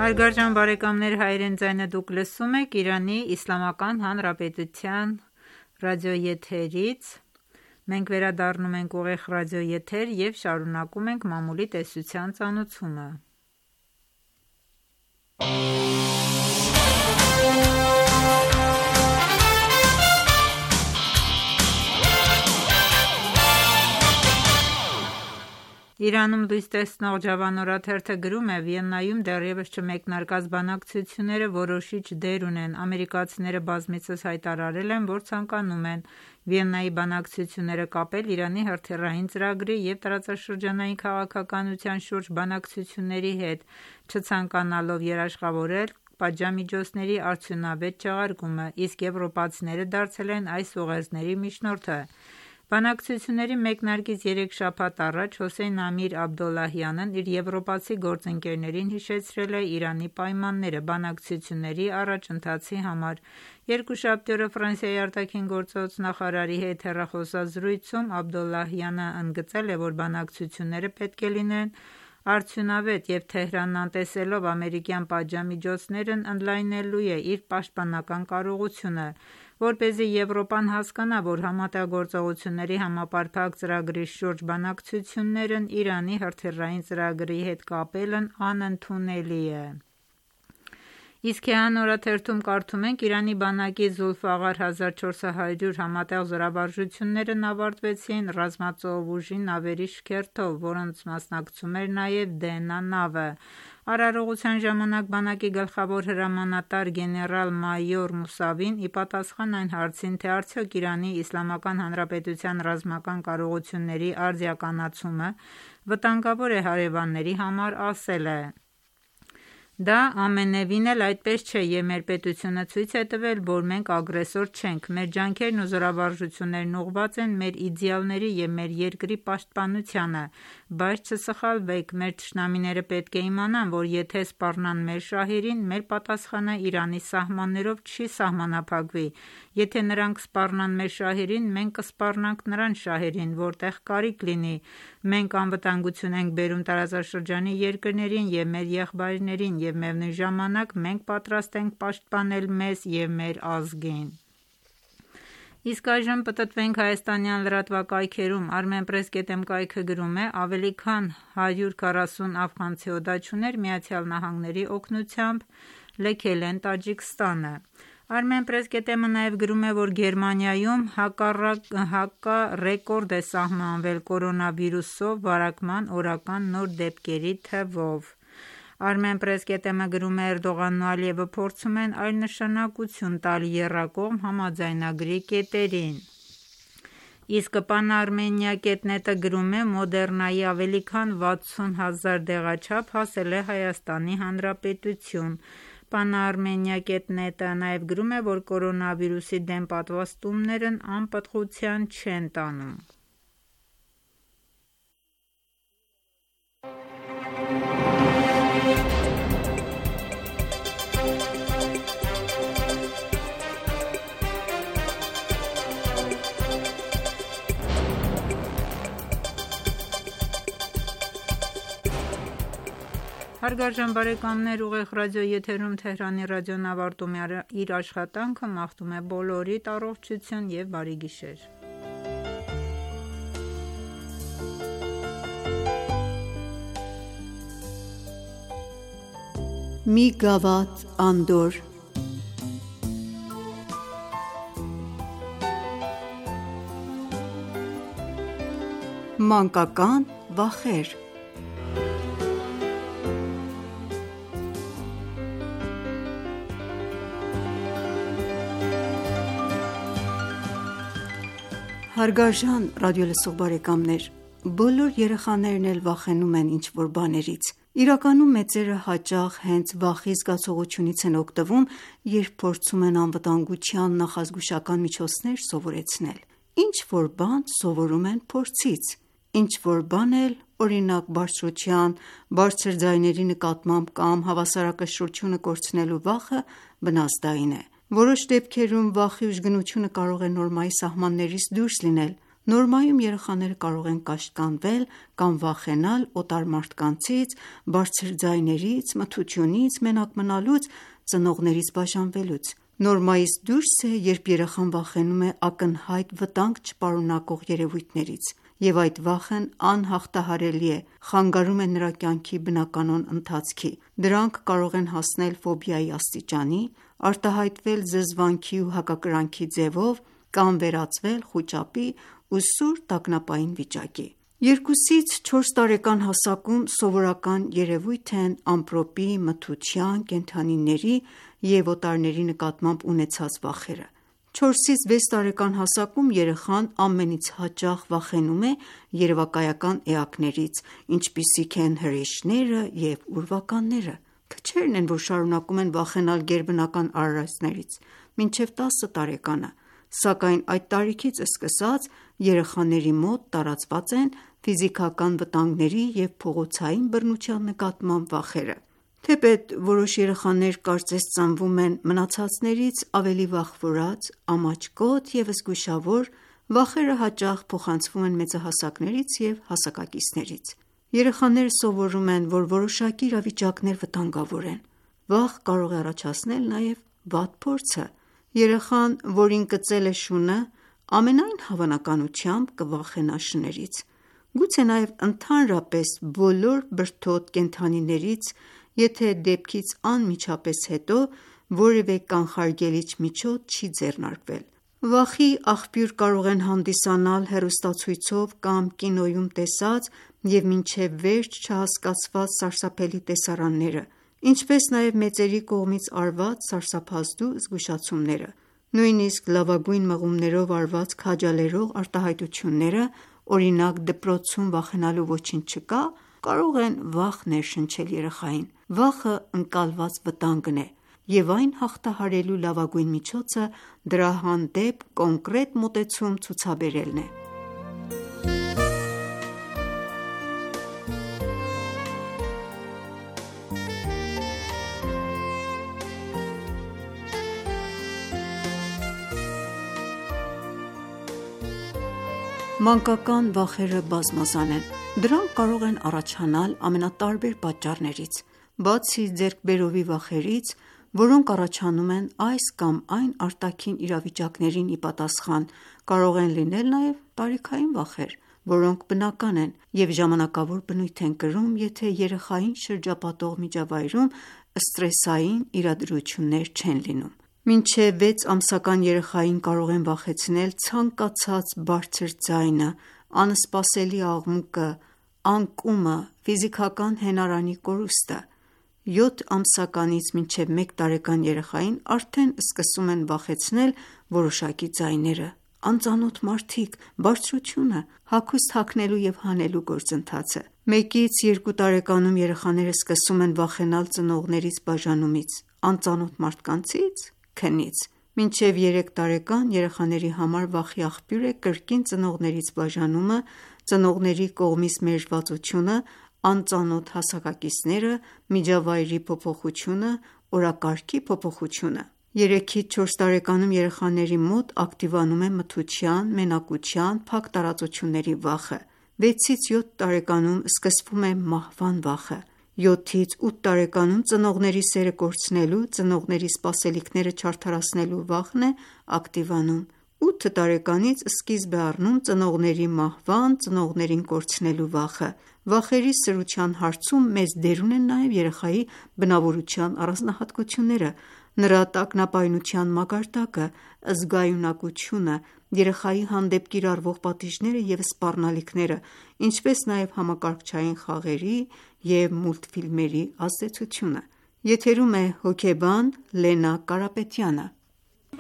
[SPEAKER 2] Հարգարժան բարեկամներ, հայրեն ձայնը դուք լսում եք Իրանի Իսլամական Հանրապետության ռադիոեթերից: Մենք վերադառնում ենք ուղիղ ռադիոեթեր և շարունակում ենք մամուլի տեսության ծանոթումը: Իրանում լույս տեսնող Ջավան օրաթերթը գրում է. «Վիեննայում դեռևս չմեկնարկած բանակցությունները որոշիչ դեր ունեն: Ամերիկացիները բազմիցս հայտարարել են, որ ցանկանում են Վիեննայի բանակցությունները կապել Իրանի հրթիռային ծրագրի և տարածաշրջանային քաղաքականության շուրջ բանակցությունների հետ, չցանկանալով երաշխավորել պատժամիջոցների արդյունավետ չեղարկումը, իսկ եվրոպացիները դարձել են այս ուղերձների միջնորդը»: Բանակցությունների մեկնարկից 3 շաբաթ առաջ Հոսեյն Ամիր Աբդոլլահյանն իր եվրոպացի գործընկերներին հիշեցրել է Իրանի պայմանները բանակցությունների առաջընթացի համար: Երկուշաբթի օրը Ֆրանսիայի ԱԳ նախարարի հետ հեռախոսազրույցում Աբդոլլահյանը ընդգծել է, որ բանակցությունները պետք է լինեն արդյունավետ և Թեհրանն անտեսելով ամերիկյան պատժամիջոցներն ընդլայնելու է իր պաշտպանական կարողությունը, որպեսզի Եվրոպան հասկանա, որ Համատեղ համապարփակ ծրագրի շուրջ բանակցություններն Իրանի հրթիռային ծրագրի հետ կապելն անընդունելի է: Իսքեհան օրաթերթում կարդում ենք. «Իրանի բանակի Զուլֆաղար 1400 համատեղ զորավարժություններն ավարտվեցին ռազմածով ուժի նավերի շքերթով, որոնց մասնակցում էր նաև Դենա նավը: Արարողության ժամանակ բանակի գլխավոր հրամանատար գեներալ-մայոր Մուսավին ի պատասխան այն հարցին, թե արդյոք Իրանի Իսլամական Հանրապետության ռազմական կարողությունների արդիականացումը վտանգավոր է հարևանների համար, ասել է. «Դա ամենևին էլ այդպես չէ և մեր պետությունը ցույց է տվել, որ մենք ագրեսոր չենք: Մեր ջանքերն ու զորավարժություններն ուղղված են մեր իդեալների և մեր երկրի պաշտպանությանը: Բայց չսխալվեք, մեր թշնամիները պետք է իմանան, որ եթե սպառնան մեր շահերին, մեր պատասխանը Իրանի սահմաններով չի սահմանափակվի: Եթե նրանք սպառնան մեր շահերին, մենք կսպառնանք նրանց շահերին, որտեղ կարիք լինի: Մենք անվտանգություն ենք բերում տարածաշրջանի երկրներին և մեր եղբայրներին և միևնույն ժամանակ մենք պատրաստ ենք պաշտպանել մեզ և մեր ազգին»: Իսկ այժմ պտտվենք հայաստանյան լրատվակայքերում: Armenpress.am կայքը գրում է. «Ավելի քան 140 աֆղանցի օդաչուներ ԱՄՆ-ի օգնությամբ լքել են Տաջիկստանը»: Armen Press.am-ը նաև գրում է, որ Գերմանիայում հակառեկորդ է սահմանվել կորոնավիրուսով վարակման օրական նոր դեպքերի թվով։ Armen Press.am-ը գրում է, Էրդողանն ու Ալիևը փորձում են այլ նշանակություն տալ եռակողմ համաձայնագրի կետերին։ Իսկ Pan-Armenia.net-ը գրում է, Մոդեռնայի ավելի քան 60,000 դեղաչափ հասել է Հայաստանի Հանրապետություն։ Pan-Armenia.net-ը նաև գրում է, որ կորոնավիրուսի դեմ պատվաստումներն անպտղության չեն տանում։ Հարգարժան բարեկամներ, ուղիղ ռադիո եթերում Թեհրանի ռադիոն ավարտում է իր աշխատանքը, մաղթում է բոլորիդ առողջություն եւ բարի գիշեր։
[SPEAKER 6] Մի գավաթ անդոր Մանկական վախեր Հարգարժան ռադիոլսող բարեկամներ, բոլոր երեխաներն էլ վախենում են ինչ-որ բաներից։ Իրականում մեծերը հաճախ հենց վախի զգացողությունից են օգտվում, երբ փորձում են անվտանգության նախազգուշական միջոցներ սովորեցնել։ Ինչ-որ բան սովորում են փորձից, ինչ-որ բան էլ, օրինակ բարձրության, բարձր ձայների նկատմամբ կամ հավասարակշռությունը կորցնելու վախը բնազդային է։ Որոշ դեպքերում վախի ուժգնությունը կարող է նորմայի սահմաններից դուրս լինել։ Նորմայում երեխաները կարող են կաշկանդվել կամ վախենալ օտար մարդկանցից, բարձր ձայներից, մթությունից, մենակ մնալուց, ծնողներից բաժանվելուց։ Նորմայից դուրս է, երբ երեխան վախենում է ակնհայտ վտանգ չպարունակող երևույթներից, և այդ վախն անհաղթահարելի է, խանգարում է նրա կյանքի բնականոն ընթացքի։ Դրանք կարող են հասնել ֆոբիայի աստիճանի, արտահայտվել զզվանքի ու հակակրանքի ձևով կամ վերածվել խուճապի ու սուր տագնապային վիճակի։ 2-ից 4 տարեկան հասակում սովորական երևույթ են ամպրոպի, մթության, կենդանիների և օտարների նկատմամբ ունեցած վախերը։ 4-ից 6 տարեկան հասակում երեխան ամենից հաճախ վախենում է երևակայական էակներից, ինչպիսիք են հրեշները և ուրվականները։ Քչերն են, որ շարունակում են վախենալ գերբնական արարածներից մինչև 10 տարեկանը, սակայն այդ տարիքից սկսած երեխաների մոտ տարածված են ֆիզիկական վտանգների և փողոցային բռնության նկատմամբ վախերը։ Թեպետ որոշ երեխաներ կարծես ծնվում են մնացածներից ավելի վախվորած, ամաչկոտ և զգուշավոր, վախերը հաճախ փոխանցվում են մեծահասակներից և հասակակիցներից։ Երեխաները սովորում են, որ որոշակի իրավիճակներ վտանգավոր են։ Վախ կարող է առաջացնել նաև վատ փորձը։ Երեխան, որին կծել է շունը, ամենայն հավանականությամբ կվախենա շներից։ Գուցե նաև ընդհանրապես բոլոր բրդոտ կենդանիներից, եթե դեպքից անմիջապես հետո որևէ կանխարգելիչ միջոց չի ձեռնարկվել։ Վախի աղբյուր կարող են հանդիսանալ հեռուստացույցով կամ կինոյում տեսած և մինչև վերջ չհասկացված սարսափելի տեսարանները, ինչպես նաև մեծերի կողմից արված սարսափազդու զգուշացումները։ Նույնիսկ լավագույն մղումներով արված քաջալերող արտահայտությունները, օրինակ դպրոցում վախենալու ոչինչ չկա, կարող են վախ ներշնչել երեխային։ Վախը ընկալված վտանգն է, և այն հաղթահարելու լավագույն միջոցը դրա հանդեպ կոնկրետ մոտեցում ցուցաբերելն է։ Մանկական վախերը բազմազան են։ Դրանք կարող են առաջանալ ամենատարբեր պատճառներից։ Բացի ձեռքբերովի վախերից, որոնք առաջանում են այս կամ այն արտաքին իրավիճակներին ի պատասխան, կարող են լինել նաև տարիքային վախեր, որոնք բնական են և ժամանակավոր բնույթ են կրում, եթե երեխային շրջապատող միջավայրում սթրեսային իրադարձություններ չեն լինում։ Մինչև 6 ամսական երեխային կարող են վախեցնել ցանկացած բարձր ձայնը, անսպասելի աղմուկը, անկումը, ֆիզիկական հենարանի կորուստը: 7 ամսականից մինչև 1 տարեկան երեխային արդեն սկսում են վախեցնել որոշակի ձայները, անծանոթ մարդիկ, բարձրությունը, հագուստ հագնելու և հանելու գործընթացը: 1-ից 2 տարեկանում երեխաները սկսում են վախենալ ծնողներից բաժանումից, անծանոթ մարդկանցից, քնից: Մինչև 3 տարեկան երեխաների համար վախի աղբյուր է կրկին ծնողներից բաժանումը, ծնողների կողմից մերժվածությունը, անծանոթ հասակակիցները, միջավայրի փոփոխությունը, օրակարգի փոփոխությունը: 3-ից 4 տարեկանում երեխաների մոտ ակտիվանում է մթության, մենակության, փակ տարածությունների վախը: 6-ից 7 տարեկանում սկսվում է մահվան վախը: 7-ից 8 տարեկանում ծնողների սերը կորցնելու, ծնողների սպասելիքները չարդարացնելու վախն է ակտիվանում: 8 տարեկանից սկիզբ է առնում ծնողների մահվան, ծնողներին կորցնելու վախը: Վախերի սրության հարցում մեծ դեր ունեն նաև երեխայի բնավորության առանձնահատկությունները, նրա տագնապայունության մակարդակը, զգայունակությունը, երեխայի հանդեպ կիրառվող պատիժները և սպառնալիքները, ինչպես նաև համակարգչային խաղերի և մուլտֆիլմերի ազդեցությունը: Եթերում է հոգեբան Լենա Կարապետյանը: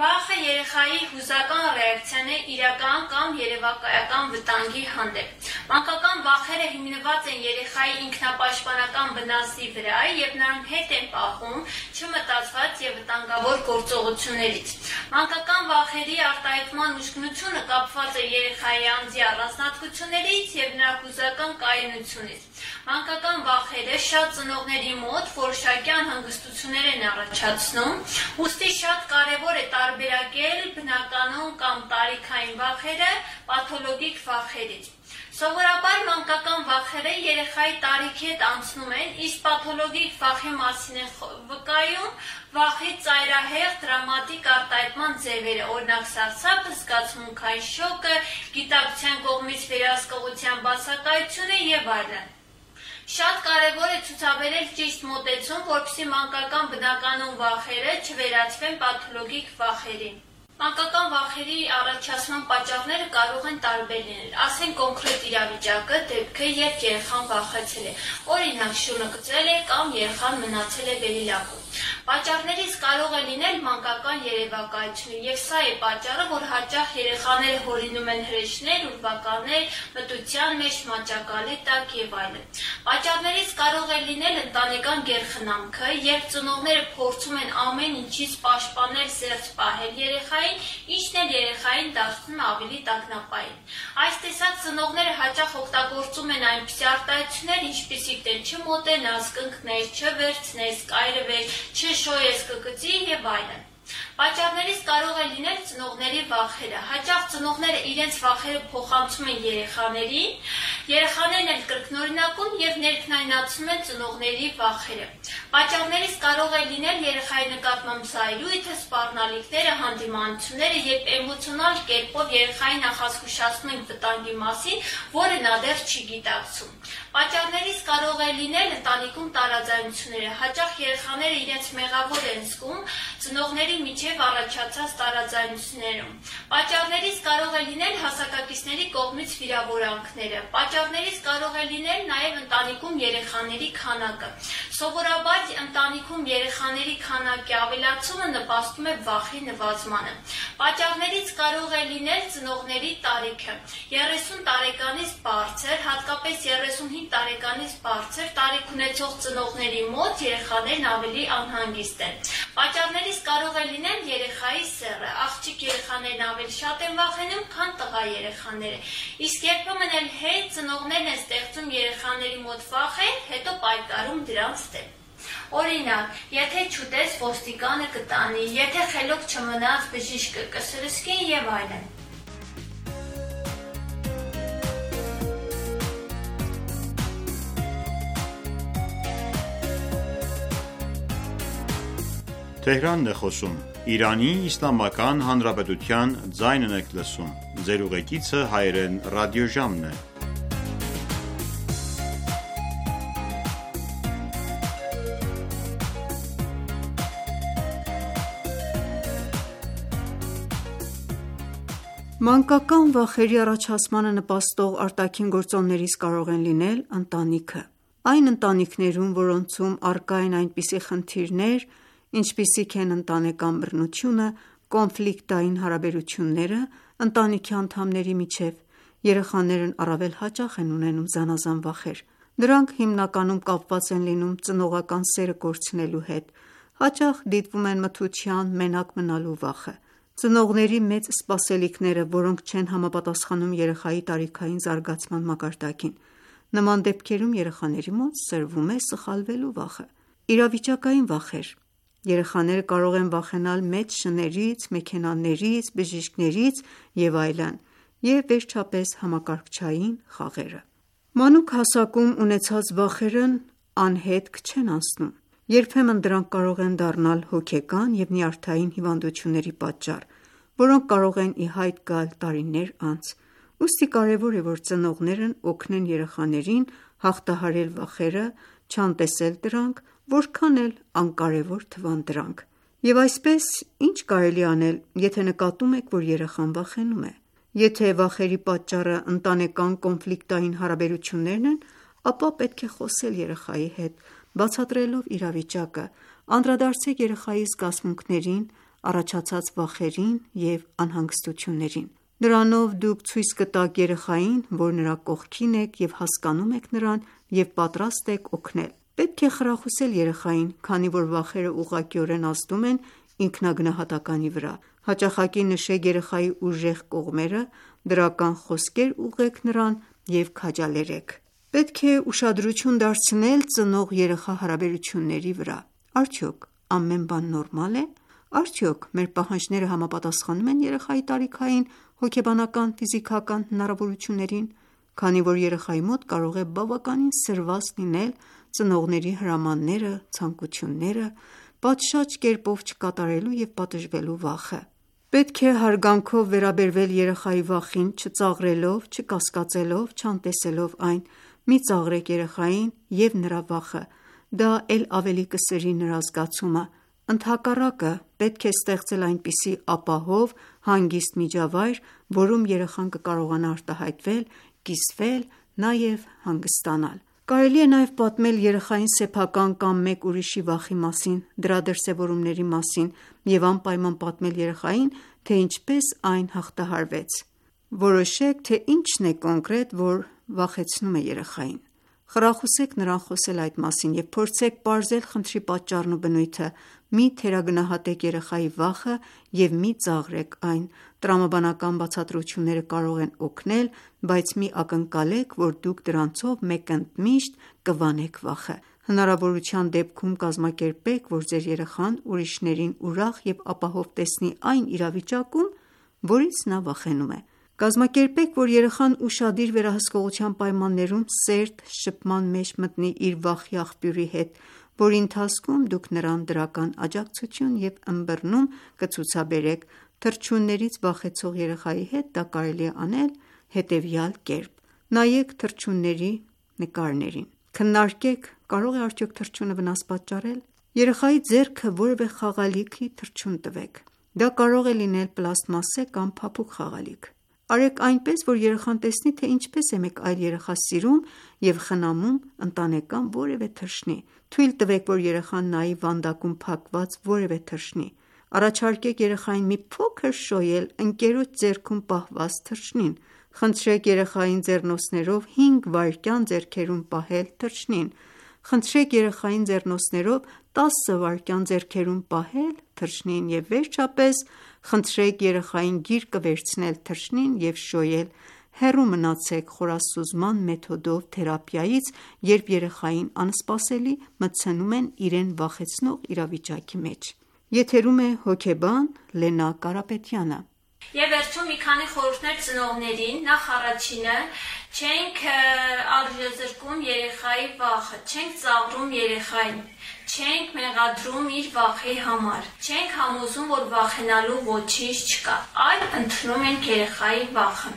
[SPEAKER 7] Վախը երեխայի հուզական ռեակցիան է իրական կամ երևակայական վտանգի հանդեպ: Մանկական վախերը հիմնված են երեխայի ինքնապաշտպանական վնասի վրա և նրան հետ են պահում չմտածված և վտանգավոր գործողություններից: Մանկական վախերի արտահայտման ուշքնությունը կապված է երեխայի անձի առանձնահատկություններից և նրա հուզական կայունությունից: Մանկական վախերը շատ ծնողների մոտ որոշակի անհանգստություններ են առաջացնում, ուստի շատ կարևոր է տարբերակել բնականոն կամ տարիքային վախերը պաթոլոգիկ վախերից: Սովորաբար մանկական վախերը երեխայի տարիքի հետ անցնում են, իսկ պաթոլոգիկ վախի մասին են վկայում վախի ծայրահեղ դրամատիկ արտահայտման ձևերը, օրինակ սարսափը, զգացմունքային շոկը, գիտակցության կողմից վերահսկողության բացակայությունը և այլն: Շատ կարևոր է ցուցաբերել ճիշտ մոտեցում, որպեսզի մանկական բնականոն վախերը չվերածվեն պաթոլոգիկ վախերի: Մանկական վախերի առաջացման պատճառները կարող են տարբեր լինել: Ասենք կոնկրետ իրավիճակը, դեպքը, երբ երեխան վախեցել է, օրինակ շունը գծել է կամ երեխան մնացել է վերելակում: Պատճառներից կարող է լինել մանկական երևակայությունը և սա է պատճառը, որ հաճախ երեխաները հորինում են հրեշներ, ուրվականներ, մթության մեջ, մահճակալի տակ և այլն: Պատճառներից կարող է լինել ընտանեկան գերխնամքը, երբ ծնողները փորձում են ամեն ինչից պաշտպանել, զերծ պահել երեխային, ինչն էլ երեխային դարձնում է ավելի տագնապային: Այս տեսակ ծնողները հաճախ օգտագործում են այնպիսի արտահայտություններ, ինչպիսիք են չմոտենաս, կընկնես, չվերցնես, կայրվես, չշոյես, կգծի և այլն: Պատճառներից կարող է լինել ծնողների վախերը: Հաճախ ծնողները իրենց վախերը փոխանցում են երեխաներին, երեխաներն էլ կրկնօրինակում և ներքնայնացնում են ծնողների վախերը: Պատճառներից կարող է լինել երեխայի նկատմամբ զայրույթը, սպառնալիքները, հանդիմանությունները, երբ էմոցիոնալ կերպով երեխային նախազգուշացնում ենք վտանգի մասին, որը նա դեռ չի գիտակցում: Պատճառներից կարող է լինել ընտանիքում տարաձայնությունները: Հաճախ երեխաները իրենց մեղավոր են զգում ծնողների միջև առաջացած տարաձայնություններում: Պատճառներից կարող է լինել հասակակիցների կողմից վիրավորանքները: Պատճառներից կարող է լինել նաև ընտանիքում երեխաների քանակը: Սովորաբար ընտանիքում երեխաների քանակի ավելացումը նպաստում է վախի նվազմանը: Պատճառներից կարող է լինել ծնողների տարիքը: 30 տարեկանից բարձր, հատկապես 35 տարեկանից բարձր տարիք ունեցող ծնողների մոտ երեխաներն ավելի անհանգիստ են: Պատճառներից կարող է լինել երեխայի սեռը: Աղջիկ երեխաներն ավելի շատ են վախենում, քան տղա երեխաները: Իսկ երբեմն էլ հետ ծնողներն են ստեղծում երեխաների մոտ վախեր, հետո պայքարում դրանց դեմ: Օրինակ, եթե չուտես ոստիկանը կտանի, եթե խելոք չմնաց բժիշկը կսրսկի և այլն:
[SPEAKER 6] Մանկական վախերի առաջացմանը նպաստող արտաքին գործոններից կարող են լինել ընտանիքը: Այն ընտանիքներում, որոնցում առկա են այնպիսի խնդիրներ, ինչպիսիք են ընտանեկան բռնությունը, կոնֆլիկտային հարաբերությունները ընտանիքի անդամների միջև, երեխաներն առավել հաճախ են ունենում զանազան վախեր: Դրանք հիմնականում կապված են լինում ծնողական սերը կորցնելու հետ, հաճախ դիտվում են մթության, մենակ մնալու վախը: Ծնողների մեծ սպասելիքները, որոնք չեն համապատասխանում երեխայի տարիքային զարգացման մակարդակին: Նման դեպքերում երեխաների մոտ սրվում է սխալվելու վախը: Իրավիճակային վախեր: Երեխաները կարող են վախենալ մեծ շներից, մեքենաներից, բժիշկներից և այլն: Եվ վերջապես համակարգչային խաղերը: Մանուկ հասակում ունեցած վախերն անհետք չեն անցնում: Երբեմն դրանք կարող են դառնալ հոգեկան և նյարդային հիվանդությունների պատճառ, որոնք կարող են ի հայտ գալ տարիներ անց: Ուստի կարևոր է, որ ծնողներն օգնեն երեխաներին հաղթահարել վախերը, չանտեսել դրանք, որքան էլ անկարևոր թվան դրանք: Եվ այսպես, ինչ կարելի է անել, եթե նկատում եք, որ երեխան վախենում է: Եթե վախերի պատճառը ընտանեկան կոնֆլիկտային հարաբերություններն են, ապա պետք է խոսել երեխայի հետ, բացատրելով իրավիճակը, անդրադարձեք երեխայի զգացմունքներին, առաջացած վախերին և անհանգստություններին: Դրանով դուք ցույց կտաք երեխային, որ նրա կողքին եք և հասկանում եք նրան և պատրաստ եք օգնել: Պետք է խրախուսել երեխային, քանի որ վախերը ուղղակիորեն ազդում են ինքնագնահատականի վրա: Հաճախակի նշեք երեխայի ուժեղ կողմերը, դրական խոսքեր ուղղեք նրան և քաջալերեք: Պետք է ուշադրություն դարձնել ծնող-երեխա հարաբերությունների վրա: Արդյոք ամեն բան նորմալ է: Արդյոք մեր պահանջները համապատասխանում են երեխայի տարիքային հոգեբանական, ֆիզիկական հնարավորություններին: Քանի որ երեխայի մոտ կարող է բավականին սրված լինել ծնողների հրամանները, ցանկությունները, պատշաճ կերպով չկատարելու և պատժվելու վախը: Պետք է հարգանքով վերաբերվել երեխայի վախին, չծաղրելով, չկասկածելով, չանտեսելով այն: Մի ծաղրեք երեխային և նրա վախը: Դա էլ ավելի կսրի նրա զգացումը: Ընդհակառակը, պետք է ստեղծել այնպիսի ապահով, հանգիստ միջավայր, որում երեխան կկարողանա արտահայտվել, կիսվել, նաև հանգստանալ: Կարելի է նաև պատմել երեխային սեփական կամ մեկ ուրիշի վախի մասին, դրա դրսևորումների մասին և անպայման պատմել երեխային, թե ինչպես այն հաղթահարվեց: Որոշեք, թե ինչն է կոնկրետ, որ վախեցնում է երեխային: Խրախուսեք նրան խոսել այդ մասին և փորձեք պարզել խնդրի պատճառն ու բնույթը: Մի թերագնահատեք երեխայի վախը և մի ծաղրեք այն: Տրամաբանական բացատրությունները կարող են օգնել, բայց մի ակնկալեք, որ դուք դրանցով մեկընդմիշտ կվանեք վախը: Հնարավորության դեպքում կազմակերպեք, որ ձեր երեխան ուրիշներին ուրախ և ապահով տեսնի այն իրավիճակում, որից նա վախենում է: Կազմակերպեք, որ երեխան ուշադիր վերահսկողության պայմաններում սերտ շփման մեջ մտնի իր վախի աղբյուրի հետ, որի ընթացքում դուք նրան դրական աջակցություն և ըմբռնում կցուցաբերեք: Թռչուններից վախեցող երեխայի հետ դա կարելի է անել հետևյալ կերպ: Նայեք թռչունների նկարներին: Քննարկեք կարո՞ղ է արդյոք թռչունը վնաս պատճառել: Երեխայի ձեռքը որևէ խաղալիքի թռչուն տվեք: Դա կարող է լինել պլաստմասե կամ փափուկ խաղալիք: Արեք այնպես, որ երեխան տեսնի, թե ինչպես է մեկ այլ երեխա սիրում և խնամում ընտանեկան որևէ թռչնի: Թույլ տվեք, որ երեխան նայի վանդակում փակված որևէ թռչնի: Առաջարկեք երեխային մի փոքր շոյել ընկերոջ ձեռքում պահված թռչնին: Խնդրեք երեխային ձեռնոցներով 5 վայրկյան ձեռքերում պահել թռչնին: Խնդրեք երեխային ձեռնոցներով 10 վայրկյան ձեռքերում պահել թռչնին: Եվ վերջապես խնդրեք երեխային գիրկը վերցնել թռչնին և շոյել: Հեռու մնացեք խորասուզման մեթոդով թերապիայից, երբ երեխային անսպասելի մտցնում են իրեն վախեցնող իրավիճակի մեջ: Եթերում է հոգեբան Լենա Կարապետյանը:
[SPEAKER 7] Եվ վերջում մի քանի խորհուրդներ ծնողներին: Նախ առաջինը, չենք արժեզրկում երեխայի վախը, չենք ծաղրում երեխային, չենք մեղադրում իր վախի համար, չենք համոզում, որ վախենալու ոչինչ չկա, այլ ընդունում ենք երեխայի վախը: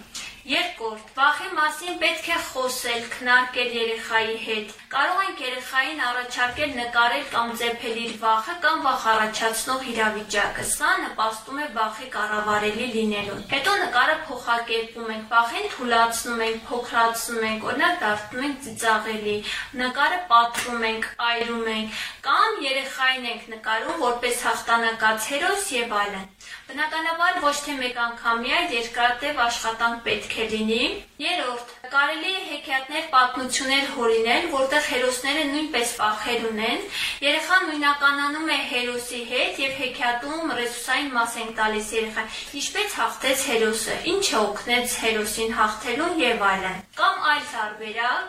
[SPEAKER 7] Երկրորդ, վախի մասին պետք է խոսել, քննարկել երեխայի հետ։ Կարող ենք երեխային առաջարկել նկարել կամ ձգել իր վախը կամ վախ առաջացնող իրավիճակը։ Սա նպաստում է վախի կառավարելի լինելուն։ Հետո նկարը փոխակերպում ենք, վախին թուլացնում ենք, փոքրացնում ենք, օրինակ դարձնում ենք ծիծաղելի, նկարը պատռում ենք, այրում ենք, կամ երեխային ենք նկարում որպես հաղթանակած հերոս եւ այլն։ Բնականաբար ոչ թե մեկանգամյա երկարատև աշխատանք պետք է լինի։ Երրորդ, կարելի է հեքիաթներ, պատմություններ հորինել, որտեղ հերոսները նույնպես վախեր ունեն։ Երեխան նույնականանում է հերոսի հետ եւ հեքիաթում ռեսուրսային մաս ենք տալիս երեխային։ Ինչպես հաղթեց հերոսը, ինչը օգնեց հերոսին հաղթելուն եւ այլն։ Կամ այլ տարբերակ,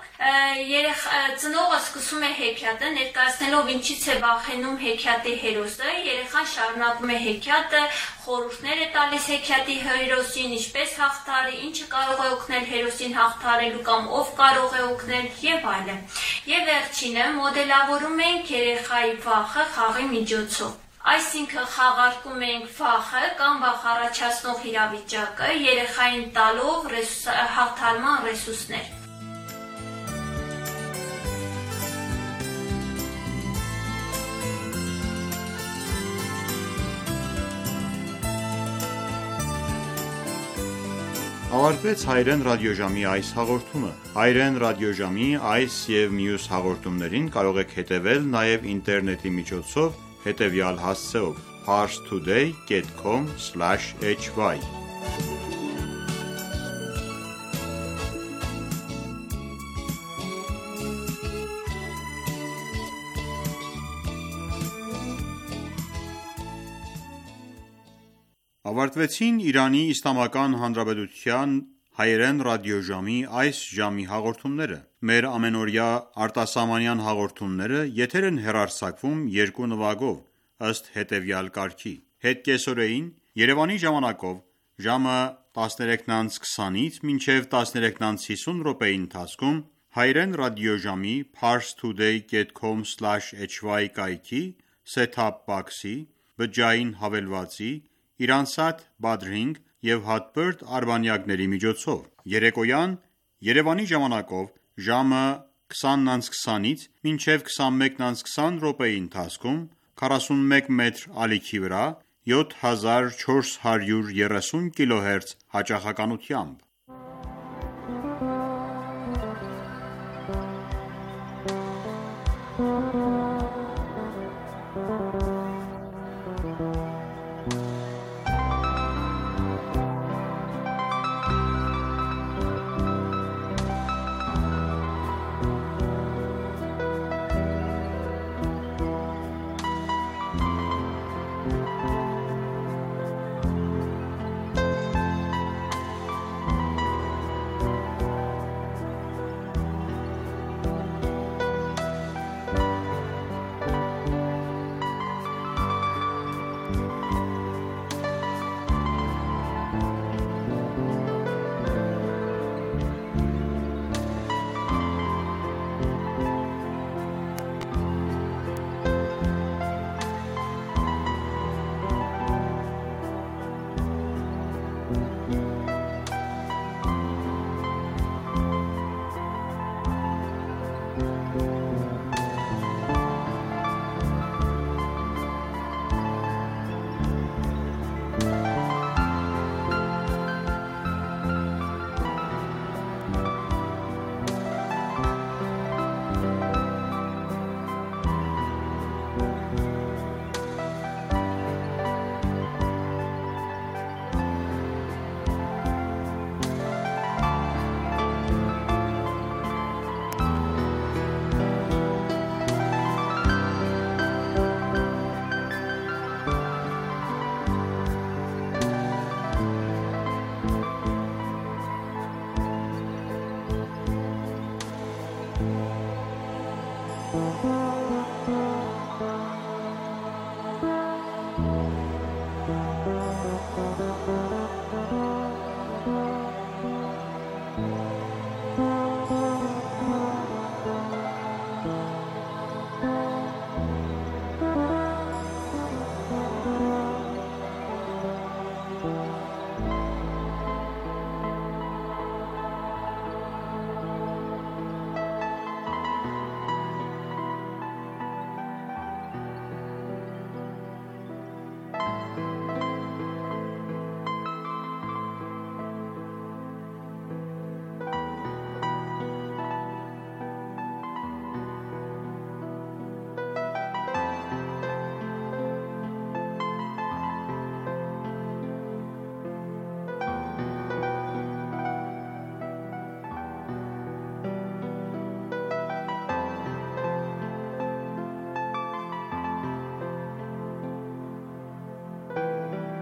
[SPEAKER 7] ծնողը սկսում է հեքիաթը ներկայացնելով ինչից է վախենում հեքիաթի հերոսը, երեխան շարունակում է հեքիաթը, խորհուրդներ է տալիս հեքիաթի հերոսին, ինչպես հաղթարի, ինչը կարող է օգնել հերոսին հաղթարելու կամ ով կարող է օգնել եւ այլն։ Եվ վերջինը մոդելավորում ենք երեխայի վախը խաղի միջոցով։ Այսինքն խաղարկում ենք վախը կամ վախ առաջացնող իրավիճակը երեխային տալով հաղթարման ռեսուրսներ։
[SPEAKER 1] Ավարտվեց Հայրեն ռադիոժամի այս հաղորդումը։ Հայրեն ռադիոժամի այս եւ մյուս հաղորդումներին կարող եք հետևել նաեւ ինտերնետի միջոցով հետևյալ հասցեով՝ parstoday.com/hy Ավարտվեցին Իրանի Իսլամական Հանրապետության հայերեն ռադիոժամի այս ժամի հաղորդումները։ Մեր ամենօրյա արտասահմանյան հաղորդումները եթեր են հեռարձակվում երկու նվագով ըստ հետևյալ կարգի. Հետկեսօրեին Երևանի ժամանակով ժամը 13:20-ից մինչև 13:50 րոպեի ընթացքում հայերեն ռադիոժամի parstoday.com/hy կայքի set-top box-ի, բջջային հավելվածի, Իրանսատ Badring և հատբերդ արբանյակների միջոցով։ Երեկոյան Երևանի ժամանակով ժամը 20:20-ից մինչև 21:20 րոպեի ընթացքում 41 մետր ալիքի վրա 7430 կիլոհերց հաճախականությամբ